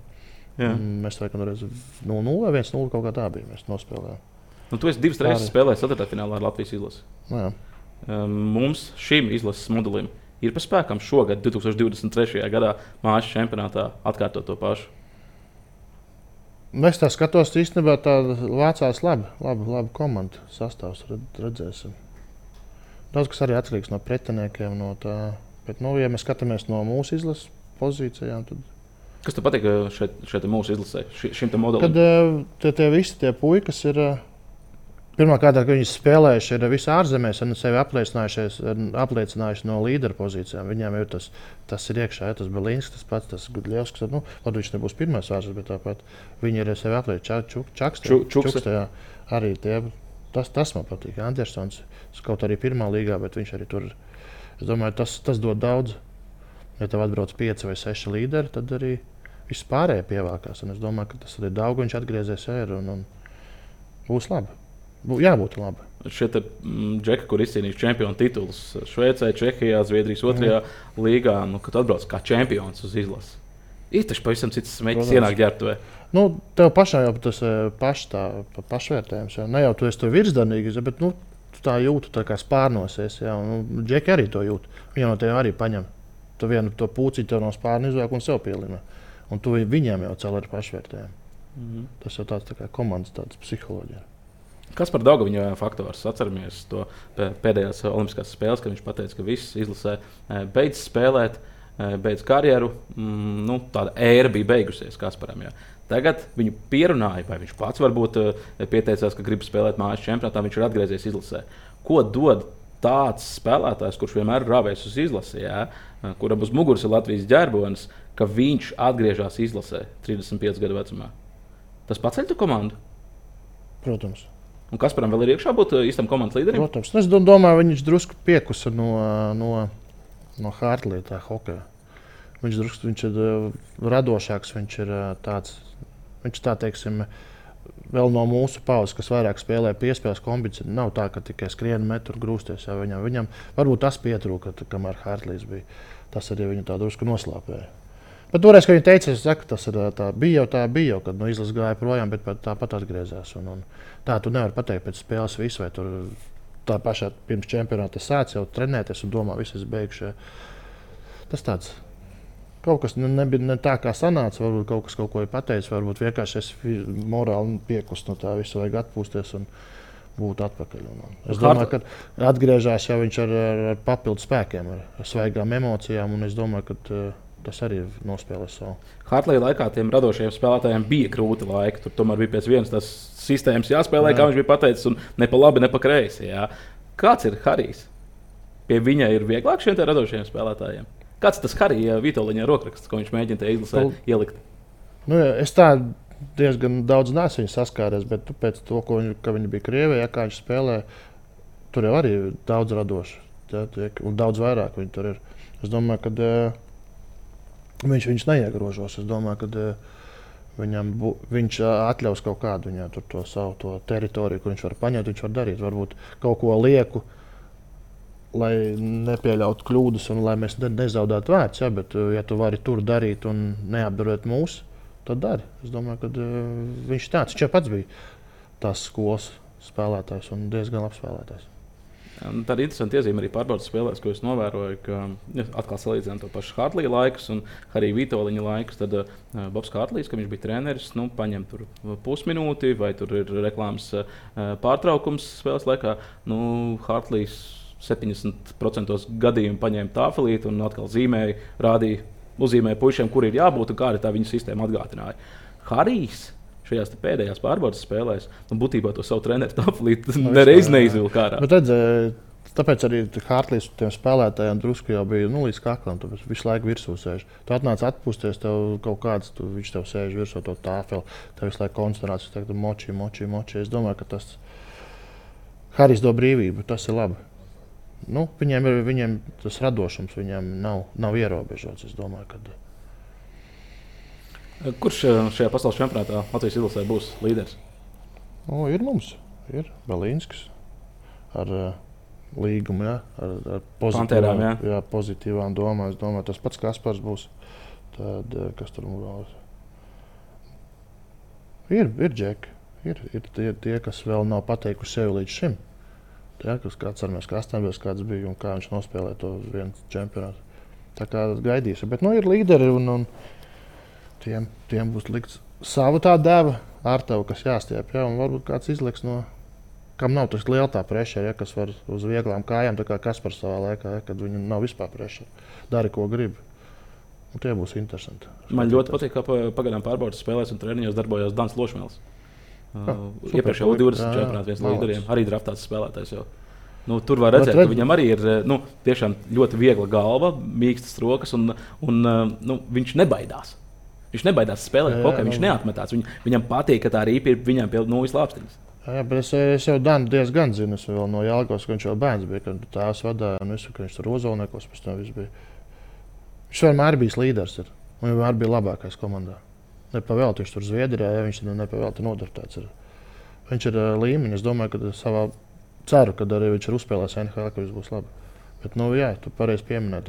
Mēs liekam reiz 0-0 vai 1-0 kaut kā tā bija, mēs nospēlējām. Tu esi divas reizes spēlējis ceturtdaļfinālā ar Latvijas izlasi. Jā. Mums šim izlases modelim ir pa spēkam šogad, 2023. gadā mājas čempionātā atkārtot to pašu. Es tā skatos, īstenībā tā vācās labi komanda sastāvs, redzēsim. Daudz kas arī atkarīgs no pretiniekiem, no tā. Bet, ja mēs skatāmies no mūsu izlases pozīcijām, tad. Kas tev patīk šeit mūsu izlasē, šim te modelim? Kad tie visi tie puikas ir, pirmkārt, ka viņi spēlējuši ir visi ārzemēs un sevi apliecinājuši no līdera pozīcijām. Viņiem ir tas ir iekšā, tas Belīns, tas pats, tas Gudļevskis. Viņš nebūs pirmais ārzemēs, bet tāpat viņi ir sevi apliecinājuši. Čukste, arī tie. Tas man patīk. Andersons, kaut arī pirmā līgā, bet viņš arī tur. Es domāju, tas dod daudz. Ja tev atbrauc 5 vai 6 līderi, tad arī viss pārējie pievākās. Un es domāju, ka tas ir daudz, viņš atgriezies un būs labi. Jābūt labi. Šie džeki, kur izcīnījuši čempionu titulus Šveicē, Čehijā, Zviedrijas 2. līgā, kad atbrauc kā čempions uz izlasi. Ir taču pavisam cits smēķis ienāk ģērbtuvē. Tev pašam jau tas pašvērtējums. Ne jau tu esi to virsdarnīgi, bet tu tā jūti, tā kā spārnosies. Džeki arī to jūt. Viņi no tev arī paņem. Tu vienu to pūcīti tev no spārna izvāk un sev pielina. Un tu viņiem jau cel ar pašvērtējumu. Tas jau tāds tā kā komandas tāds psiholoģija. Kas par Daugaviņa faktors? Atceramies to pēdējās olimpiskās spēles, kad viņš pateica, ka viss izlasē beidz spēlēt, beidz karjeru. Tāda ēra bija beigusies Kasparam. Jā. Tagad viņu pierunāja, vai viņš pats varbūt pieteicās, ka grib spēlēt mājas čempionātā, viņš ir atgriezies izlasē. Ko dod tāds spēlētājs, kurš vienmēr ir rāvējis uz izlasi, kuram uz muguras ir Latvijas ģerbonis, ka viņš atgriežas izlasē 35 gadu vecumā? Tas paceļ tu komandu? Protams. Un Kasparam vēl ir iekšā būt īstam komandas līderim? Protams. Es domāju, viņš drusku piekusa no Hartlija tā hokeja. Viņš ir radošāks, viņš ir tāds, teiksim, vēl no mūsu paudzes, kas vairāk spēlē piespēles kombināciju. Nav tā, ka tikai skrien, met un grūsties. Jā, viņam varbūt tas pietrūka, kamēr Hartlijs bija. Tas arī viņu tā drusku noslāpēja. Bet toreiz, kad viņi teica, tas ir tā bija, kad izlases gāja projām, bet tāpat atgriezās. Un tā tu nevari pateikt pēc spēles visu, vai tur tā pašā pirms čempionāta sāc jau trenēties un domā, viss ir beigšie. Tas tāds. Kaut kas nebija ne tā, kā sanāca, varbūt kaut kas kaut ko ir pateicis, varbūt vienkārši es morāli piekust no tā visu, vajag atpūsties un būt atpakaļ. Es domāju, ka atgriežās jau viņš ar papildu spēkiem, ar svaigām emocijām, un es domāju, ka tas arī nospēlēs savu. Hartlija laikā tiem radošajiem spēlētājiem bija grūti laiki. Tur tomēr bija pēc vienas tās sistēmas jāspēlē, kā viņš bija pateicis, un ne pa labi, ne pa kreisi. Jā. Kāds ir Harijs? Pie viņa ir vieglāk šiem radošajiem spēlētājiem? Kāds tas Harija Vitoļiņa rokraksts, ko viņš mēģina te izlasē ielikt? Nu, es tā diezgan daudz neesmu viņu saskāries, bet pēc to, ka viņi bija Krievijā, kā viņš spēlē, tur jau arī daudz radoši. Un daudz vairāk viņi tur ir. Es domāju, ka viņš neiegrožos. Es domāju, ka viņš atļaus kaut kādu to savu teritoriju, kur viņš var paņemt, viņš var darīt. Varbūt kaut ko lieku, lai nepieļautu kļūdas un lai mēs nezaudētu vērts. Ja, bet, ja tu vari tur darīt un neapdarot mūsu, tad dari. Es domāju, ka viņš tāds. Viņš jau pats bija tās skolas spēlētājs un diezgan labs spēlētājs. Tāda interesanta iezīme arī pārbaudas spēlēs, ko es novēroju, ka atkal salīdzinām to pašu Hartlija laikus un arī Vitoļiņa laikus. Tad Bobs Hartlijs, kad viņš bija treneris, paņem tur pusminūti vai tur ir reklāmas pārtraukums spēles laikā. Hartlijs 70% gadījumu paņēma tāfelīti un atkal zīmēja, uzzīmēja puišiem, kur ir jābūt un kāda tā viņa sistēma atgādināja. Harijs šajās pēdējās pārbaudas spēlēs, būtībā to savu treneru tāfelīti nereiz neizvilka ārā. Tāpēc arī Hartlijs tiem spēlētājiem drusku jau bija līdz kaklam, tu visu laiku virsū sēž. Tu atnāc atpūsties, tev kaut kāds, viņš tev sēž virsū to tāfeli, tev visu laiku koncentrācijas, tev moči. Es domāju, ka tas Harijs do brīvību, tas ir labi. Viņiem tas radošums viņam nav ierobežots, es domāju, ka... Kurš šajā pasaules čempionātā Latvijas izlasē būs līderis? Ir mums. Ir Belīnskis ar līgumu, ar pozitīvām domām. Es domāju, tas pats Kaspars būs. Tad, kas tur mums ir džeki. Ir tie, kas vēl nav pateikuši sevi līdz šim. Kāds armēs Krastenbergs kāds bija un kā viņš nospēlē to vienu čempionātu. Tā kā gaidīsim. Bet ir līderi un tiem būs likts savu tā deva ar tevi, kas jāstiep. Ja? Un varbūt kāds izliks kam nav tas liela tā pressure, ja? Kas var uz vieglām kājām, tā kā Kaspars savā laikā, ja? Kad viņam nav vispār pressure. Dari, ko grib. Un tie būs interesanti. Man ļoti patīk, ka pagaidām pārbaudas spēlēs un treniņos darbojās Dans Lošmēls. Iepriekš jau 20 čempionātu viens līderiem, arī draftāts spēlētājs jau. Tur var redzēt, ka viņam arī ir tiešām ļoti viegla galva, mīkstas rokas un viņš nebaidās. Viņš nebaidās spēlēt hokeju, viņš neatmetās. Viņam patīk, ka tā rīpa ir viņam pie nūjas lāpstiņas. Jā, bet es jau Danu diezgan zinu, es vēl no Jālgavas, ka viņš jau bērns bija, kad tēvs vadāja un visu, ka viņš tur Ozolniekos pēc tam viss bija. Viņš vienmēr bijis līderis un vienmēr bija labākais komandā. Nepavēlti viņš tur Zviedrijā, ja viņš nepavēlti nodartēts ir. Viņš ir līmeņi, es domāju, ka ceru, kad arī viņš ir uzspēlējis NHL, ka viss būs labi. Bet, jā, tu pareizi pieminēji,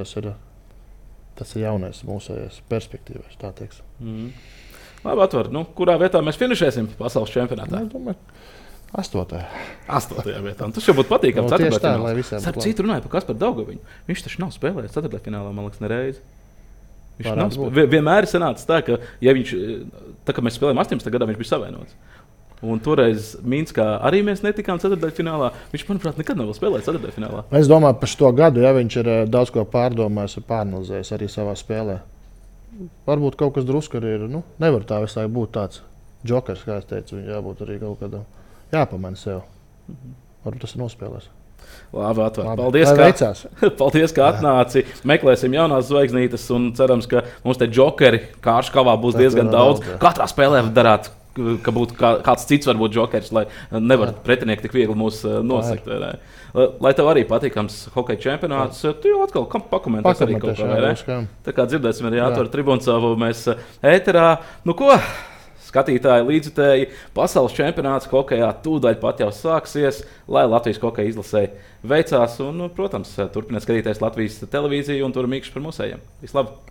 tas ir jaunais mūsējais perspektīvais, tā teiksim. Labi, atver. Kurā vietā mēs finišēsim pasaules čempionātā? Es domāju, 8. 8. vietā. Tas jau būtu patīkami. Tieši tā, lai visiem būtu labi. Citu runāja par Kasparu Daugaviņu. Viņš taču nav spēlējis 4. finālā, man liekas, nereiz. Vienmēr ir sanācis tā, ka, ja viņš, tā kā mēs spēlējām 18. gadā, viņš bija savienots. Un toreiz Minskā arī mēs netikām 4. finālā. Viņš, manuprāt, nekad nav spēlējis 4. finālā. Es domāju, par šo gadu, ja viņš ir daudz ko pārdomājis un pāranalizējis arī savā spēlē. Varbūt kaut kas drusku arī ir. Nevar tā visai būt tāds džokers, kā es teicu. Viņam jābūt arī kaut kādam jāpamana sev. Varbūt tas ir nospēlēs. Labi, atver. Paldies, ka atnāci. Meklēsim jaunās zvaigznītes un cerams, ka mums te džokeri Kārškavā būs diezgan daudz. Katrā spēlē darāt ka būtu kāds cits varbūt jokers, lai nevar pretinieki tik viegli mūs nosakt. Lai tev arī patīkams hokeja čempionāts, tu jau atkal pakomentēsi arī kaut kā, vai ne? Tā kā dzirdēsim arī Jātoru Tribuncovu mēs ēterā. Nu ko, skatītāji, līdzjutēji, pasaules čempionāts hokejā tūdaļ pat jau sāksies, lai Latvijas hokeja izlasē veicās un, protams, turpiniet skatīties Latvijas televīziju un tur mīkšķi par mūsējiem. Vislabāk!